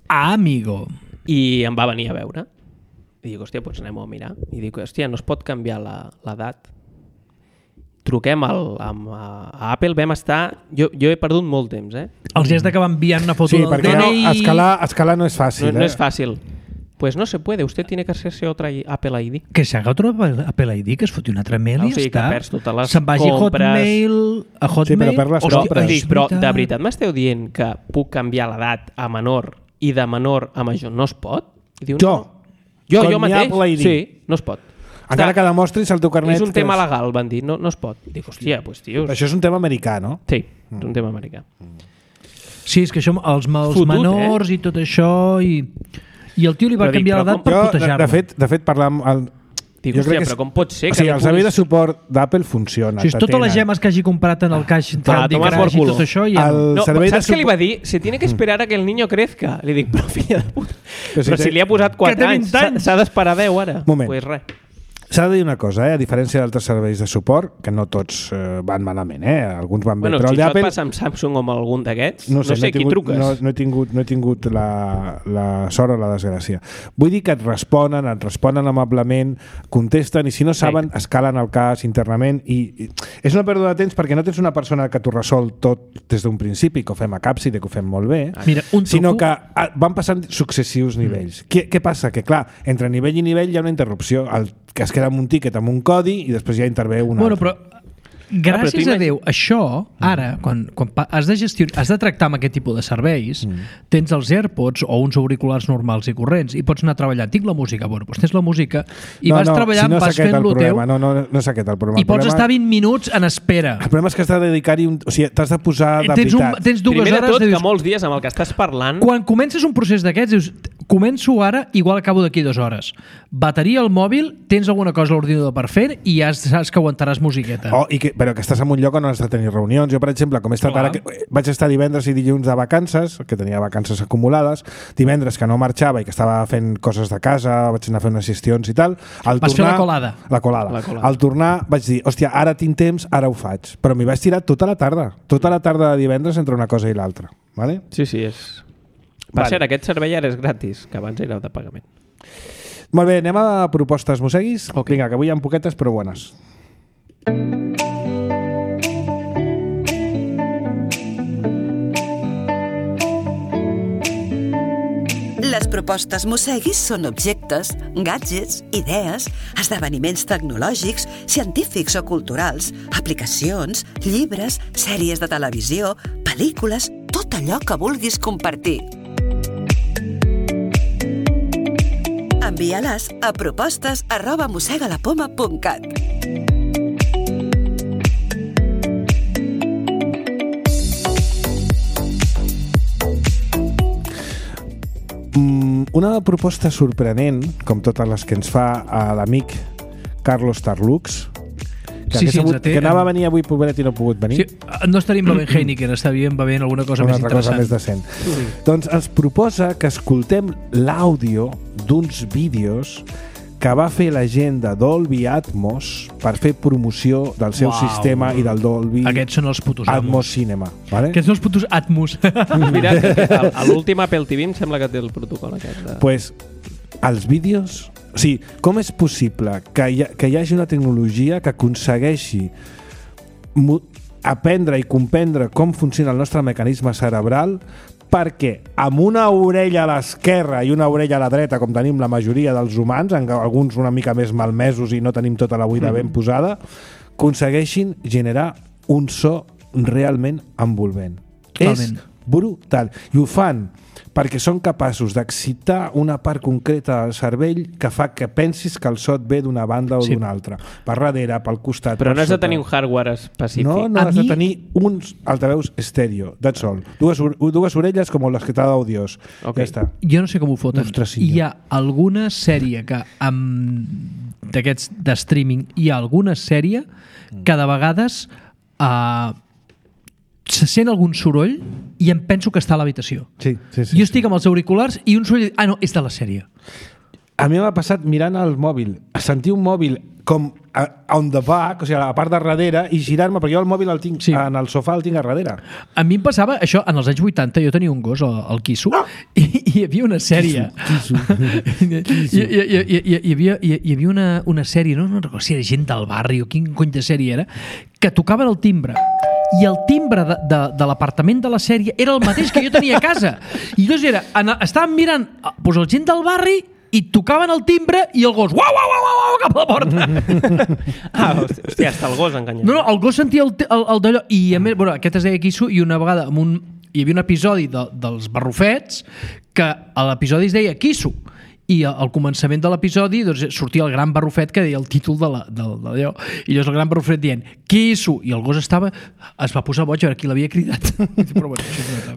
Amigo. I em va venir a veure. I dic, hòstia, doncs anem a mirar. I dic, hòstia, no es pot canviar l'edat. Truquem a Apple, vam estar... Jo he perdut molt temps, Els has d'acabar enviant una foto del DNI... Sí, perquè escalar no és fàcil. No és fàcil. Pues no se puede, usted tiene que hacerse otra Apple ID. Que se haga otro Apple ID, que es foti un altre mail i ja està. Que perds totes les se'n vagi compres... a Hotmail... Sí, però per les compres. Però de veritat m'esteu dient que puc canviar l'edat a menor i de menor a major no es pot? I diu, jo mateix. Sí, no es pot. Encara que demostris el teu carnet... És un tema legal, van dir, no es pot. Dic, hòstia, doncs, tios... Això és un tema americà, no? Sí, és un tema americà. Sí, és que això, els menors i tot això, i el tio li va canviar l'edat per protejar-lo. De fet, parlant... Dic, hòstia, però com pot ser? O sigui, el servei de suport d'Apple funciona. Si és totes les gemes que hagi comprat en el caix Candy Crush i tot això... Saps què li va dir? Se tiene que esperar a que el niño crezca. Li dic, però filla de puta... Però si li ha posat 4 anys, s'ha d'esperar 10 ara. Moment. Pues res. S'ha de dir una cosa, a diferència d'altres serveis de suport, que no tots van malament, alguns van bé, però si això et passa amb Samsung o amb algun d'aquests, no sé qui truques. No he tingut la sort o la desgràcia. Vull dir que et responen amablement, contesten, i si no saben, escalen el cas internament, i és una pèrdua de temps perquè no tens una persona que t'ho resol tot des d'un principi, que ho fem a Capside, que ho fem molt bé, sinó que van passant successius nivells. Què passa? Que clar, entre nivell i nivell hi ha una interrupció, que es queda amb un tiquet, amb un codi, i després ja intervé un altre. Però gràcies a Déu, això, ara, quan has de tractar amb aquest tipus de serveis, tens els AirPods o uns auriculars normals i corrents, i pots anar treballant. Tinc la música, doncs tens la música, i vas treballant, vas fent lo teu, no és aquest el problema. I pots estar 20 minuts en espera. El problema és que has de dedicar-hi... O sigui, t'has de posar de veritat. Tens 2 hores... Primer de tot, que molts dies amb el que estàs parlant... Quan comences un procés d'aquests, dius, començo ara, igual acabo d'aquí 2 hores. Bateria al mòbil, tens alguna cosa a l'ordinador per fer, i ja saps que aguantaràs musiqueta. Però que estàs en un lloc on has de tenir reunions. Jo, per exemple, com he estat ara, vaig estar divendres i dilluns de vacances, que tenia vacances acumulades, divendres que no marxava i que estava fent coses de casa, vaig anar a fer unes gestions i tal. Vas fer la colada. La colada. Al tornar vaig dir, hòstia, ara tinc temps, ara ho faig. Però m'hi vaig tirar tota la tarda de divendres entre una cosa i l'altra. Vale? Sí, és... Per cert, aquest servei ara és gratis, que abans era de pagament. Molt bé, anem a propostes mosseguis. Vinga, que avui hi ha poquetes però bones. Les propostes Mosseguis són objectes, gadgets, idees, esdeveniments tecnològics, científics o culturals, aplicacions, llibres, sèries de televisió, pel·lícules, tot allò que vulguis compartir. Envia-les a propostes@mossegalapoma.cat. Una proposta sorprenent, com totes les que ens fa l'amic Carlos Tarlux, que anava a venir avui, pobret, i no ha pogut venir. Sí, no estaríem bevent Heineken, estaríem bevent alguna cosa més interessant. Més decent. Doncs ens proposa que escoltem l'àudio d'uns vídeos que va fer la gent de Dolby Atmos per fer promoció del seu sistema i del Dolby Aquests són els putos Atmos Cinema. Vale? Aquests són els putos Atmos. Mira, a l'últim Apple TV em sembla que té el protocol aquest. Pues, els vídeos... O sigui, com és possible que hi hagi una tecnologia que aconsegueixi aprendre i comprendre com funciona el nostre mecanisme cerebral perquè amb una orella a l'esquerra i una orella a la dreta, com tenim la majoria dels humans, alguns una mica més malmesos i no tenim tota la buida ben posada, aconsegueixin generar un so realment envolvent. Totalment. És brutal. I ho fan perquè són capaços d'excitar una part concreta del cervell que fa que pensis que el so et ve d'una banda o d'una altra. Per darrere, pel costat... Però no has de tenir un hardware específic. No, has de tenir uns altaveus estèreo, that's all. Dues orelles com les que t'ha dado Dios. Ja està. Jo no sé com ho foten. Hi ha alguna sèrie que d'aquests de streaming, hi ha alguna sèrie que de vegades se sent algun soroll i em penso que està a l'habitació. Sí. Jo estic amb els auriculars i un soroll... no, és de la sèrie. A mi m'ha passat mirant el mòbil, sentir un mòbil com on the back, o sigui, a la part de darrere, i girar-me, perquè jo el mòbil el tinc en el sofà, el tinc a darrere. A mi em passava això, en els anys 80, jo tenia un gos, el Kisu, i hi havia una sèrie. Hi havia una sèrie, no recordo si era Gent del barri o quin cony de sèrie era, que tocaven el timbre. I el timbre de l'apartament de la sèrie era el mateix que jo tenia a casa. I llavors estàvem mirant el Gent del barri i tocaven el timbre i el gos uau, cap a la porta. Hòstia, hasta el gos enganyat. No, el gos sentia el d'allò. I a més, aquest es deia Kisu, i una vegada hi havia un episodi dels barrufets que l'episodi es deia Kisu. i al començament de l'episodi doncs, sortia el gran barrufet que deia el títol d'allò, i llavors el gran barrufet dient Kisu, i el gos es va posar boig a veure qui l'havia cridat. Però, bueno,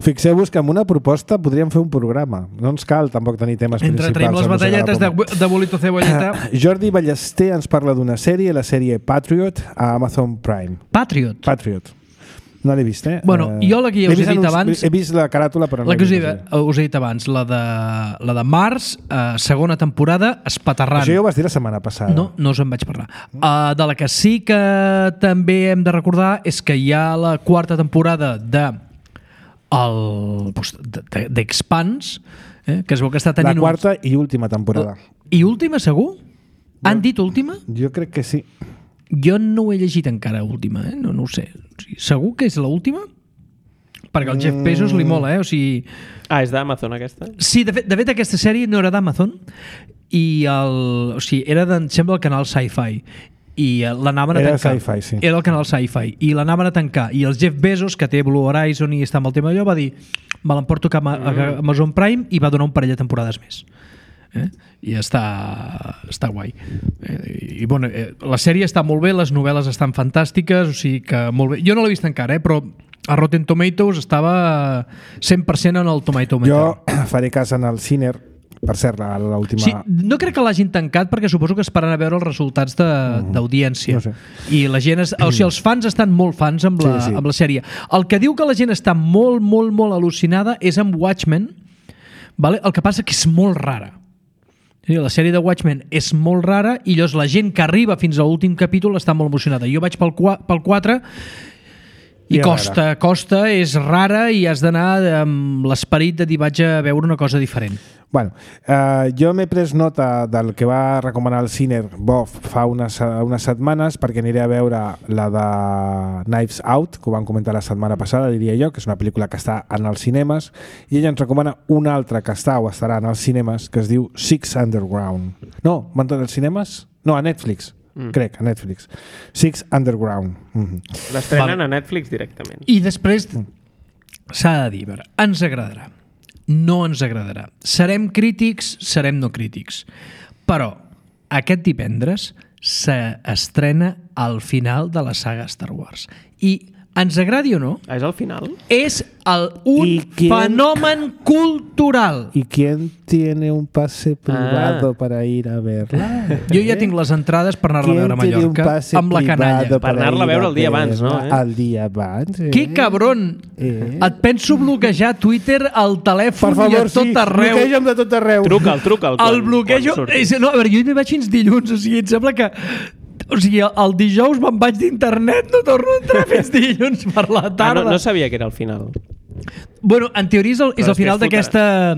fixeu-vos que amb una proposta podríem fer un programa, no ens cal tampoc tenir temes principals. Entre traiem les batalletes de bolito cebolleta. Jordi Ballester ens parla d'una sèrie, la sèrie Patriot a Amazon Prime. Patriot. No l'he vist, eh? Bueno, jo la que ja us he dit abans... He vist la caràtula, però no la que us he dit abans, la de Mars, segona temporada, espaterrant. Això ja ho vas dir la setmana passada. No us en vaig parlar. De la que sí que també hem de recordar és que hi ha la quarta temporada d'Expanse, que es veu que està tenint... La quarta i última temporada. I última, segur? Han dit última? Jo crec que sí. Jo no ho he llegit encara, última, no ho sé. O sigui, segur que és l'última? Perquè el Jeff Bezos li mola, O sigui... és d'Amazon, aquesta? Sí, de fet aquesta sèrie no era d'Amazon i o sigui, era, em sembla, el canal Sci-Fi. I l'anaven a tancar. Sci-Fi, sí. Era el canal Sci-Fi. I l'anaven a tancar. I el Jeff Bezos, que té Blue Horizon i està amb el tema allò, va dir me l'emporto a Amazon Prime i va donar un parell de temporades més. I està guai. I bueno, la sèrie està molt bé, les novel·les estan fantàstiques, o sigui que molt bé. Jo no l'he vist encara, però a Rotten Tomatoes estava 100% en el Tomato Meter. Jo faré cas en el Ciner, per cert, l'última... Sí, no crec que l'hagin tancat perquè suposo que esperen a veure els resultats d'audiència. No sé. I la gent... O sigui, els fans estan molt fans amb la sèrie. El que diu que la gent està molt, molt, molt al·lucinada és amb Watchmen, vale? El que passa que és molt rara. La sèrie de Watchmen és molt rara i llavors la gent que arriba fins a l'últim capítol està molt emocionada. Jo vaig pel 4 i costa, és rara i has d'anar amb l'esperit de dir vaig a veure una cosa diferent. Bueno, jo m'he pres nota del que va recomanar el Ciner Bof fa unes setmanes perquè aniré a veure la de Knives Out, que ho vam comentar la setmana passada, diria jo, que és una pel·lícula que està en els cinemes, i ella ens recomana una altra que està o estarà en els cinemes, que es diu Six Underground. No, van tots els cinemes? No, a Netflix. Crec, a Netflix. Six Underground. L'estrenen a Netflix directament. I després s'ha de dir, ens agradarà. No ens agradarà. Serem crítics, serem no crítics. Però aquest divendres s'estrena al final de la saga Star Wars. I ens agradi o no... És el final? És fenomen cultural. ¿Y quién tiene un pase privado para ir a verla? Jo ja tinc les entrades per anar-la a veure a Mallorca amb la canalla. Per anar-la a veure el dia abans, no? El dia abans. Que cabron! Et penso bloquejar Twitter, el telèfon i a tot arreu. Bloqueja'm de tot arreu. Truca'l. El bloquejo... No, a veure, jo no hi vaig fins dilluns, o sigui, em sembla que... O sigui, el dijous me'n vaig d'internet, no torno a entrar fins dilluns per la tarda. No sabia que era el final. Bueno, en teoria és el final d'aquesta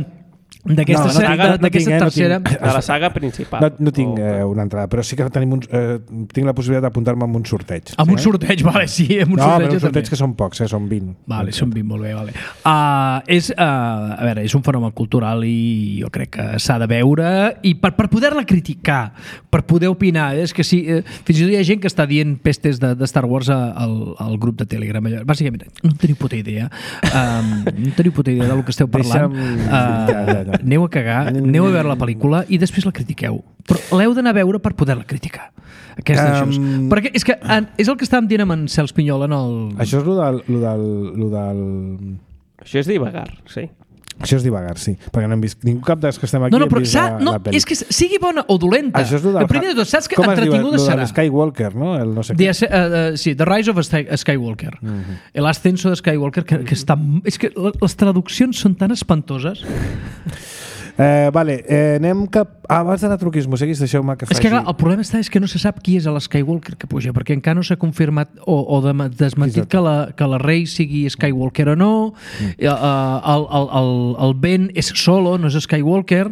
tercera... De la saga principal. No tinc una entrada, però sí que tinc la possibilitat d'apuntar-me amb un sorteig. Amb un sorteig, vale, sí. Amb un sorteig, però un sorteig que són pocs, són 20. Vale, són 20, molt bé, vale. A veure, és un fenomen cultural i jo crec que s'ha de veure i per poder-la criticar, per poder opinar, és que sí, fins i tot hi ha gent que està dient pestes de Star Wars al grup de Telegram. Bàsicament, no teniu puta idea. No teniu puta idea del que esteu parlant. Aneu a cagar, aneu a veure la pel·lícula i després la critiqueu. Però l'heu d'anar a veure per poder-la criticar. Perquè és que és el que estàvem dient amb en Cels Pinyol en el... Això és lo del... Això és divagar, sí. Això és divagar, sí. Perquè no hem vist... Ningú cap dels que estem aquí hem vist la pel·li. És que sigui bona o dolenta. Això és el primer de tot, saps que entretinguda serà? Com es diu? Skywalker, no? El no sé què. Sí, The Rise of Skywalker. L'ascenso de Skywalker, que està... És que les traduccions són tan espantoses. Vale, anem cap... Abans d'anar a truquis moseguis, deixeu-me que faci... És que clar, el problema és que no se sap qui és l'Skywalker que puja, perquè encara no s'ha confirmat o desmentit que la Rey sigui Skywalker o no. El Ben és Solo, no és Skywalker.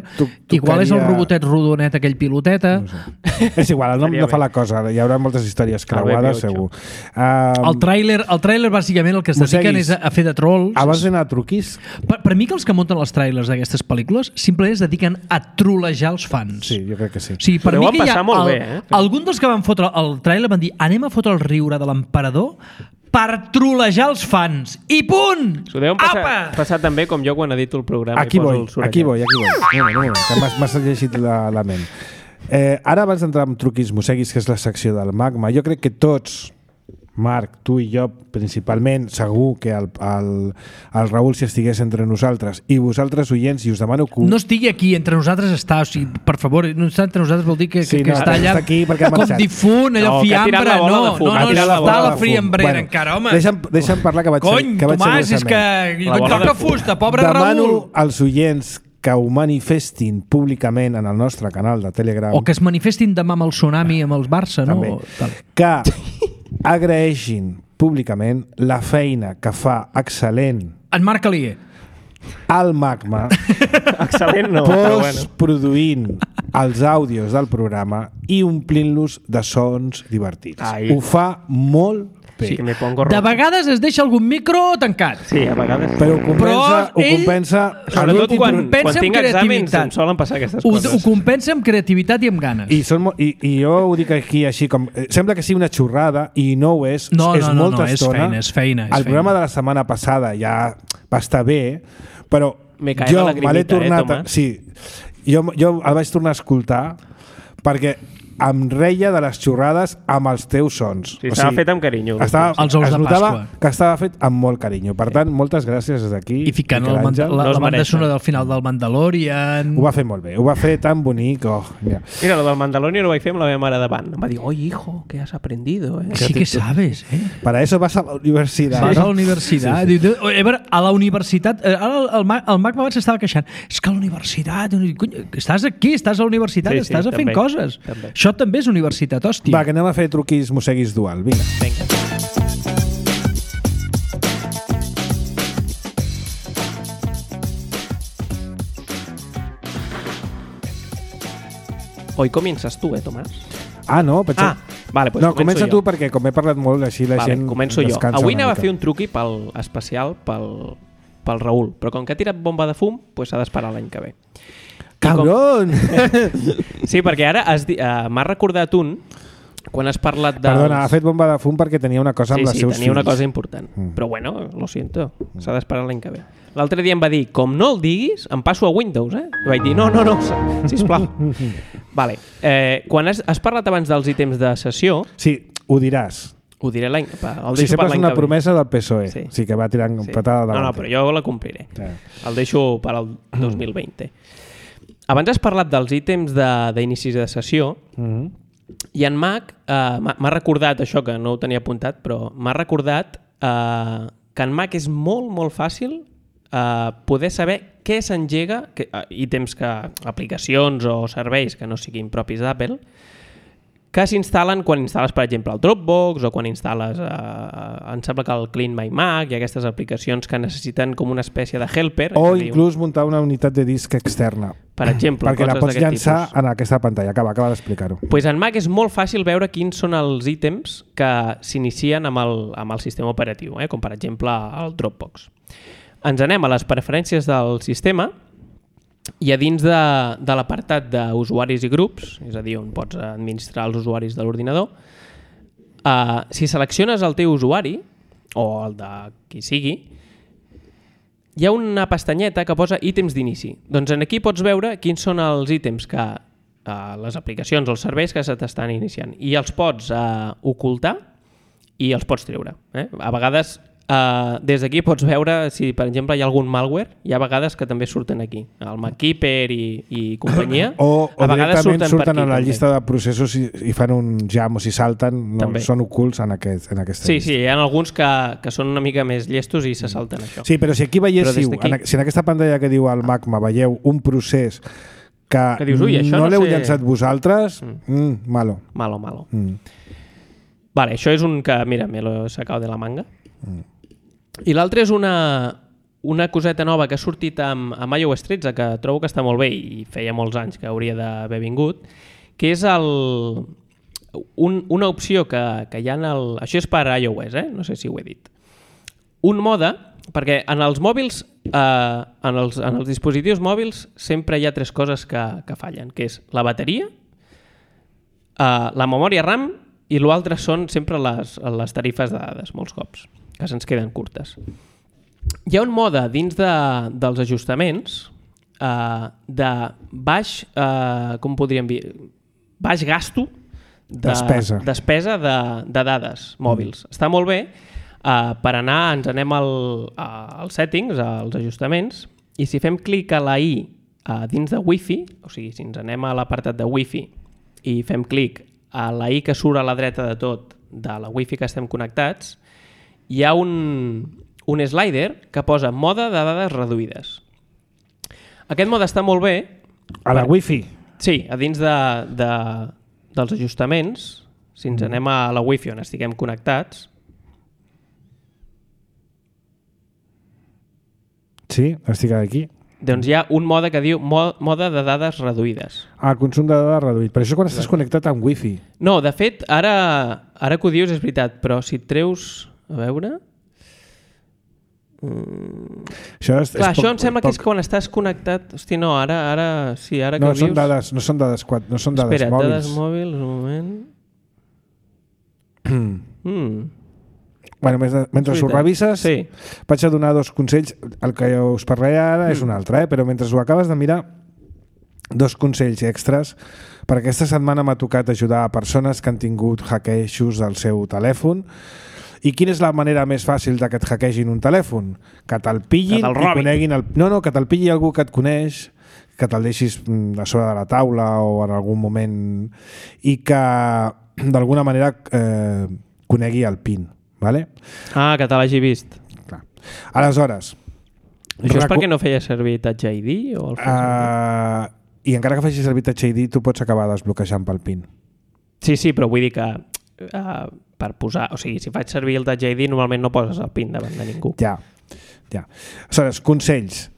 Igual és el robotet rodonet, aquell piloteta. No sé. És igual, el nom no fa la cosa. Hi haurà moltes històries creuades, segur. El tràiler bàsicament el que es dediquen és a fer de trolls. Abans d'anar a truquis... Per mi que els que munten els tràilers d'aquestes pel·lícules simplement es dediquen a trolejar els fans. Sí, jo crec que sí. O sigui, per mi que hi ha molt bé, algun dels que van fotre el tràiler van dir anem a fotre el riure de l'emperador per trolejar els fans. I punt! S'ho deuen passar també com jo quan edito el programa. Aquí voy. No, que m'has llegit la ment. Ara, abans d'entrar en truquis mosseguis, que és la secció del Magma, jo crec que tots, Marc, tu i jo principalment, segur que el Raül, si estigués entre nosaltres, i vosaltres, oients, i us demano que... No estigui aquí, entre nosaltres està, o sigui, per favor, no està entre nosaltres vol dir que està allà aquí com difunt, allò fiambre, no, està a la friambrera encara, home. Deixa'm parlar que vaig Cony, Tomàs, és que toca fusta, pobre Raül. Demano als oients que ho manifestin públicament en el nostre canal de Telegram. O que es manifestin demà amb el tsunami, amb els Barça, no? Que agraeixin públicament la feina que fa excel·lent en Marc Alier al Magma excel·lent no, produint els àudios del programa i omplint-los de sons divertits. Ai. Ho fa molt bé. Sí, me pongo rojo. De vegades es deixa algun micro tancat. Sí, a vegades. Però ho compensa sobretot quan tinc exàmens em solen passar aquestes coses. Ho compensa amb creativitat i amb ganes. I jo ho dic aquí així com... Sembla que sigui una xurrada i no ho és. És molta estona. És feina. El programa de la setmana passada ja va estar bé, però jo me l'he tornat... Sí, jo el vaig tornar a escoltar perquè em reia de les xurrades amb els teus sons. Sí, estava fet amb carinyo. Els ous de Pasqua. Que estava fet amb molt carinyo. Per tant, moltes gràcies des d'aquí. I ficant la banda sonora del final del Mandalorian. Ho va fer molt bé. Ho va fer tan bonic. Mira, lo del Mandalorian ho vaig fer amb la meva mare davant. Em va dir, oye, hijo, ¿qué has aprendido? Sí que sabes, Para eso vas a la universidad. Vas a la universitat. Sí. A la universitat... Ara el Mac abans s'estava queixant. És que a la universitat... Estàs aquí, estàs a la universitat, estàs fent coses. Això també és universitat, hòstia. Va, que anem a fer truquis mosseguis dual. Vinga. Hoy comienzas tu, Tomàs? No, pensava... Vale, pues no, comença tu perquè com he parlat molt així la gent començo jo. Avui anava a fer un truqui especial pel Raül, però com que ha tirat bomba de fum, s'ha d'esperar l'any que ve. Cabron! Sí, perquè ara m'ha recordat un quan has parlat de... Perdona, ha fet bomba de fum perquè tenia una cosa amb els seus fills. Sí, tenia una cosa important. Però bueno, lo siento, s'ha d'esperar l'any que ve. L'altre dia em va dir, com no el diguis, em passo a Windows, I vaig dir, no, sisplau. Vale. Quan has parlat abans dels ítems de sessió... Sí, ho diràs. Ho diré l'any... sempre és una promesa del PSOE. Sí, que va tirant patada davant. No, però jo la compliré. Sí. El deixo per al 2020. Abans has parlat dels ítems d'inicis de sessió i en Mac m'ha recordat això, que no ho tenia apuntat, però m'ha recordat que en Mac és molt, molt fàcil poder saber què s'engega, ítems aplicacions o serveis que no siguin propis d'Apple, que s'instal·len quan instal·les, per exemple, el Dropbox o quan instal·les, em sembla que el Clean My Mac i aquestes aplicacions que necessiten com una espècie de helper. O inclús muntar una unitat de disc externa. Per exemple, perquè la pots llançar en aquesta pantalla. Acaba d'explicar-ho. En Mac és molt fàcil veure quins són els ítems que s'inicien amb el sistema operatiu, com per exemple el Dropbox. Ens anem a les preferències del sistema i a dins de l'apartat d'usuaris i grups, és a dir, on pots administrar els usuaris de l'ordinador, si selecciones el teu usuari, o el de qui sigui, hi ha una pestanyeta que posa ítems d'inici. Doncs aquí pots veure quins són els ítems que les aplicacions o els serveis que se t'estan iniciant. I els pots ocultar i els pots treure. A vegades... des d'aquí pots veure si, per exemple, hi ha algun malware. Hi ha vegades que també surten aquí. El MacKeeper i companyia. O a vegades surten a la llista de processos i fan un jam o si salten. Són ocults en aquesta llista. Sí, hi ha alguns que són una mica més llestos i se salten això. Sí, però si aquí veiéssiu, si en aquesta pantalla que diu el Magma veieu un procés que dius, no l'heu llançat vosaltres, malo. Malo. Vale, això és un que, mira, me lo he sacado de la manga. I l'altre és una coseta nova que ha sortit amb iOS 13, que trobo que està molt bé i feia molts anys que hauria d'haver vingut, que és una opció que hi ha en el... Això és per iOS, no sé si ho he dit. Un mode, perquè en els mòbils, en els dispositius mòbils sempre hi ha tres coses que fallen, que és la bateria, la memòria RAM I l'altre són sempre les tarifes de dades, molts cops, que se'ns queden curtes. Hi ha un mode dins dels ajustaments de baix, com podríem dir, baix gasto despesa de dades mòbils. Està molt bé per anar, ens anem als settings, als ajustaments, i si fem clic a la i dins de Wi-Fi, o sigui, si ens anem a l'apartat de Wi-Fi i fem clic a la i que surt a la dreta de tot, de la Wi-Fi que estem connectats, hi ha un slider que posa mode de dades reduïdes. Aquest mode està molt bé. A la Wi-Fi? Sí, a dins dels ajustaments, si ens anem a la Wi-Fi on estiguem connectats. Sí, estic aquí. Doncs hi ha un mode que diu mode de dades reduïdes. Consum de dades reduït. Però això quan estàs connectat amb Wi-Fi. No, de fet, ara que ho dius és veritat, però si et treus... A veure... Això em sembla que és quan estàs connectat... Hosti, no, ara sí, ara que ho dius... No són dades mòbils. Espera, dades mòbils, un moment... Bueno, mentre ho revises, sí. Vaig a donar 2 consells. El que us parlaré ara és un altre, però mentre ho acabes de mirar, 2 consells extras, perquè aquesta setmana m'ha tocat ajudar a persones que han tingut hackejos del seu telèfon. I quina és la manera més fàcil de que et hackegin un telèfon? Que te'l pillin i coneguin... que te'l pilli algú que et coneix, que te'l deixis a sobre de la taula o en algun moment, i que d'alguna manera conegui el PIN. Vale? Que te l'hagi vist. Clar. Aleshores... Això és perquè no feia servir Touch ID? O I encara que facis servir Touch ID, tu pots acabar desbloquejant pel PIN. Sí, però vull dir que per posar... O sigui, si faig servir el Touch ID, normalment no poses el PIN davant de ningú. Ja. Aleshores, consells.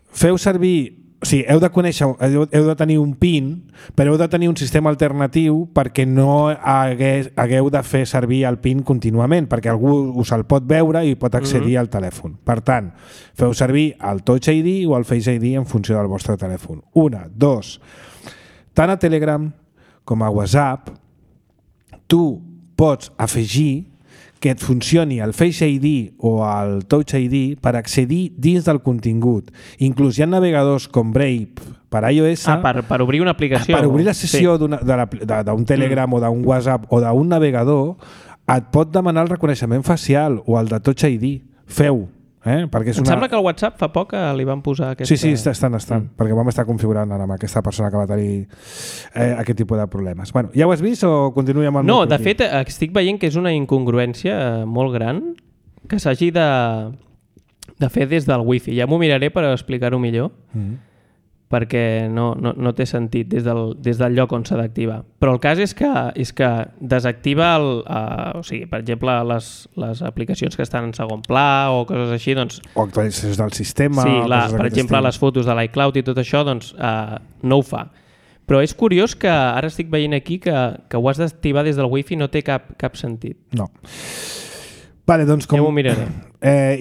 Feu servir... O sigui, heu de conèixer, heu de tenir un PIN, però heu de tenir un sistema alternatiu perquè no hagueu de fer servir el PIN contínuament, perquè algú us el pot veure i pot accedir al telèfon. Per tant, feu servir el Touch ID o el Face ID en funció del vostre telèfon. 1, 2. Tant a Telegram com a WhatsApp, tu pots afegir que et funcioni el Face ID o el Touch ID per accedir dins del contingut. Inclús hi ha navegadors com Brave per iOS... per obrir una aplicació. Per obrir la sessió d'un Telegram o d'un WhatsApp o d'un navegador, et pot demanar el reconeixement facial o el de Touch ID. Feu. Perquè és Em sembla que al WhatsApp fa poc li van posar aquesta... Sí, estan, perquè vam estar configurant ara amb aquesta persona que va tenir aquest tipus de problemes. Bueno, ja ho has vist o continuem amb el... No, de fet, estic veient que és una incongruència molt gran que s'hagi de fer des del Wi-Fi. Ja m'ho miraré per explicar-ho millor, perquè no té sentit des del lloc on s'ha d'activar. Però el cas és que desactiva o sigui, per exemple, les aplicacions que estan en segon pla o coses així, doncs... O actualitzacions del sistema... Sí, per exemple, les fotos de l'iCloud i tot això, doncs no ho fa. Però és curiós que ara estic veient aquí que ho has d'activar des del Wi-Fi, no té cap sentit. No. Vale, doncs com... Ja m'ho miraré.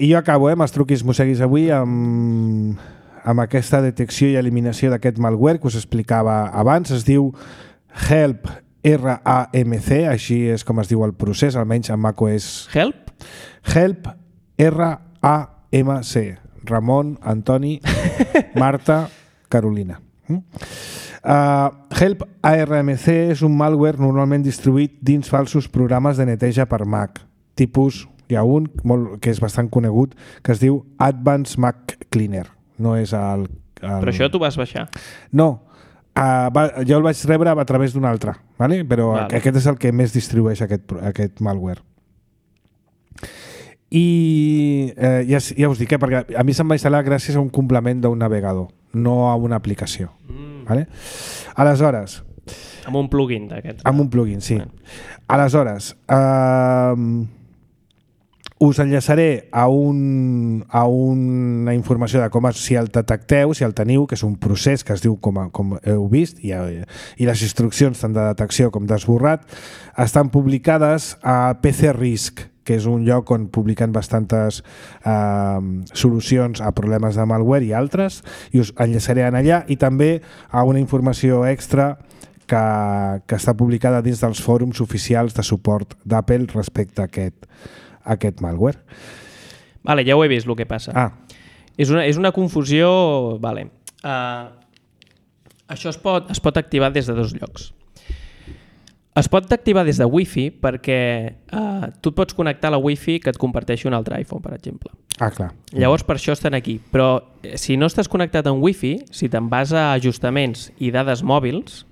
I jo acabo, amb els truquis mosseguis avui, amb aquesta detecció i eliminació d'aquest malware que us explicava abans. Es diu Help RAMC, així és com es diu el procés, almenys en macOS. Help? Help RAMC. Ramon, Antoni, Marta, Carolina. Help ARMC és un malware normalment distribuït dins falsos programes de neteja per Mac. Tipus, hi ha un que és bastant conegut, que es diu Advanced Mac Cleaner. No és el... Però això tu vas baixar? No, jo el vaig rebre a través d'un altre, ¿vale? Però aquest és el que més distribueix aquest malware. I ja us dic, perquè a mi se'm va instal·lar gràcies a un complement d'un navegador, no a una aplicació. ¿Vale? Aleshores... Amb un plugin d'aquests. Amb un plugin, sí. Aleshores... us enllaçaré a una informació de com si el detecteu, si el teniu, que és un procés que es diu com heu vist, i les instruccions tant de detecció com d'esborrat estan publicades a PC Risk, que és un lloc on publiquen bastantes solucions a problemes de malware i altres, i us enllaçaré allà, i també a una informació extra que està publicada dins dels fòrums oficials de suport d'Apple respecte a aquest malware. Vale, ja ho he vist, el que passa. És una confusió... Vale. Això es pot activar des de 2 llocs. Es pot activar des de Wi-Fi perquè tu et pots connectar a la Wi-Fi que et comparteixi un altre iPhone, per exemple. Clar. Llavors, per això estan aquí. Però si no estàs connectat amb Wi-Fi, si te'n vas a ajustaments i dades mòbils...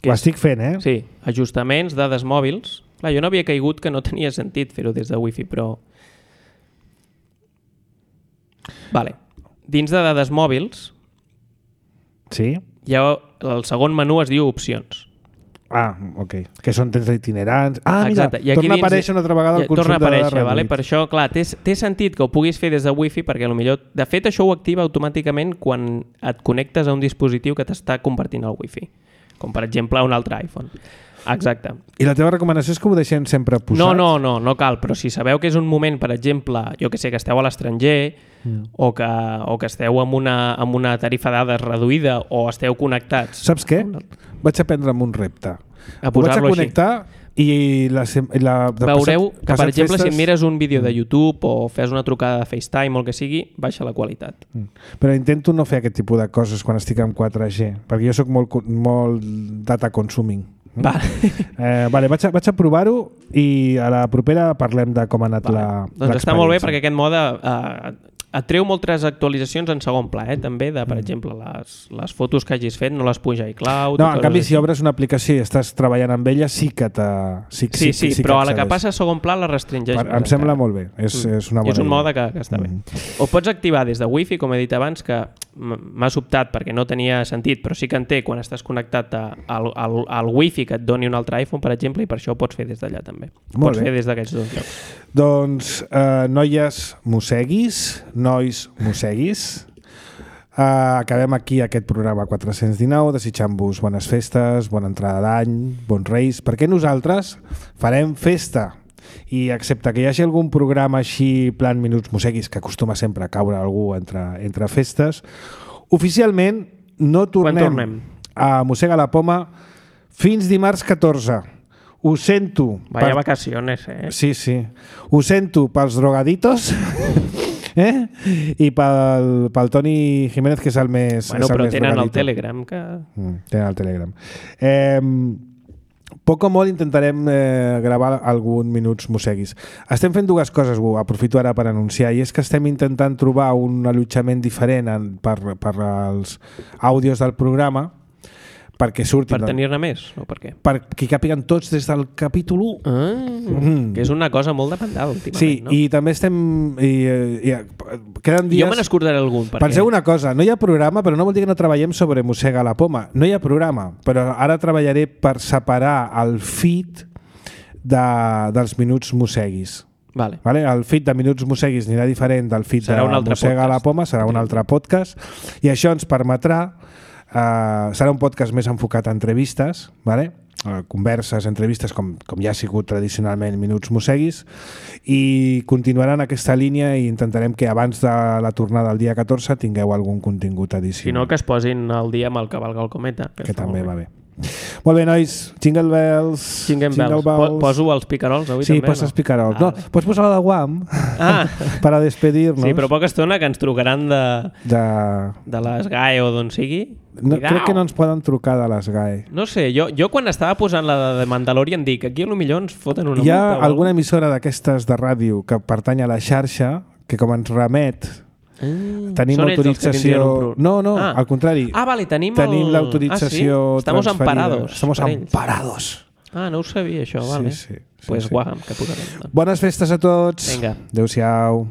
Ho estic fent, Sí, ajustaments, dades mòbils... Clar, jo no havia caigut que no tenia sentit fer-ho des de Wi-Fi, però... Vale. Dins de dades mòbils... Sí? El segon menú es diu opcions. Ok. Que són temps itinerants. Mira, torna a aparèixer una altra vegada el consum de dades reduït. Vale? Per això, clar, té sentit que ho puguis fer des de Wi-Fi perquè potser... De fet, això ho activa automàticament quan et connectes a un dispositiu que t'està compartint el Wi-Fi. Com, per exemple, un altre iPhone. Exacte. I la teva recomanació és que ho deixem sempre posat? No cal, però si sabeu que és un moment, per exemple, jo que sé, que esteu a l'estranger o que esteu amb una tarifa de dades reduïda o esteu connectats... Saps què? Vaig a prendre'm un repte. A posar-lo així. Ho vaig a connectar i veureu que, per exemple, si et mires un vídeo de YouTube o fes una trucada de FaceTime o el que sigui, baixa la qualitat. Però intento no fer aquest tipus de coses quan estic amb 4G, perquè jo sóc molt data consuming. Vale, vaig a provar-ho i a la propera parlem de com ha anat l'experiència. Doncs està molt bé perquè aquest mode et treu moltes actualitzacions en segon pla, també, de, per exemple, les fotos que hagis fet no les puja a iCloud. No, en canvi, si obres una aplicació i estàs treballant amb ella, sí que Sí, però a la que passa a segon pla la restringeix. Em sembla molt bé, és una bona idea. És un mode que està bé. Ho pots activar des de Wi-Fi, com he dit abans, que m'ha sobtat perquè no tenia sentit, però sí que en té quan estàs connectat al Wi-Fi que et doni un altre iPhone, per exemple, i per això ho pots fer des d'allà també. Pots fer des d'aquests 2 llocs. Doncs, noies mosseguis, nois mosseguis, acabem aquí aquest programa 419 desitjant-vos bones festes, bona entrada d'any, bons reis, perquè nosaltres farem festa i excepte que hi hagi algun programa així plan Minuts Mosseguis que acostuma sempre a caure algú entre festes, oficialment no tornem a Mossega la Poma fins dimarts 14. Ho sento. Vaya vacaciones, Sí. Ho sento pels drogaditos i pel Toni Jiménez, que és el més però tenen drogadito. el Telegram. Tenen el Telegram. Poc o molt intentarem gravar algun Minuts Mosseguis. Estem fent 2 coses, ho aprofito ara per anunciar, i és que estem intentant trobar un allotjament diferent per als àudios del programa, perquè surtin... Per tenir-ne més? O per què? Perquè capiguen tots des del capítol 1. Que és una cosa molt demandada últimament, sí, no? I també estem... queden dies... Jo me n'escordaré algun. Penseu una cosa, no hi ha programa, però no vol dir que no treballem sobre Mossega la Poma. No hi ha programa, però ara treballaré per separar el feed dels Minuts Mosseguis. Vale. El feed de Minuts Mosseguis anirà diferent del feed de Mossega la Poma, serà un altre podcast, i això ens permetrà serà un podcast més enfocat a entrevistes, converses, entrevistes, com ja ha sigut tradicionalment Minuts Mosseguis, i continuarà en aquesta línia i intentarem que abans de la tornada del dia 14 tingueu algun contingut addicional. Si no, que es posin al dia amb el cavalga el cometa. Que també va bé. Molt bé, nois, Jingle Bells. Jingle Bells. Poso els picarols avui també? Sí, poses picarols. No, pots posar la de Guam per a despedir-nos. Sí, però poca estona que ens trucaran de les GAE o d'on sigui. No, crec que no ens poden trucar de les GAE. No sé, jo quan estava posant la de Mandalorian dic, aquí potser ens foten una multa. Hi ha alguna emissora d'aquestes de ràdio que pertany a la xarxa que com ens remet tenim autorització... No, al contrari. Vale, tenim l'autorització Estamos transferida. amparados. Estamos amparados. No ho sabia, això, vale. Sí. Pues guam, que posarem. Bones festes a tots. Vinga. Adéu-siau.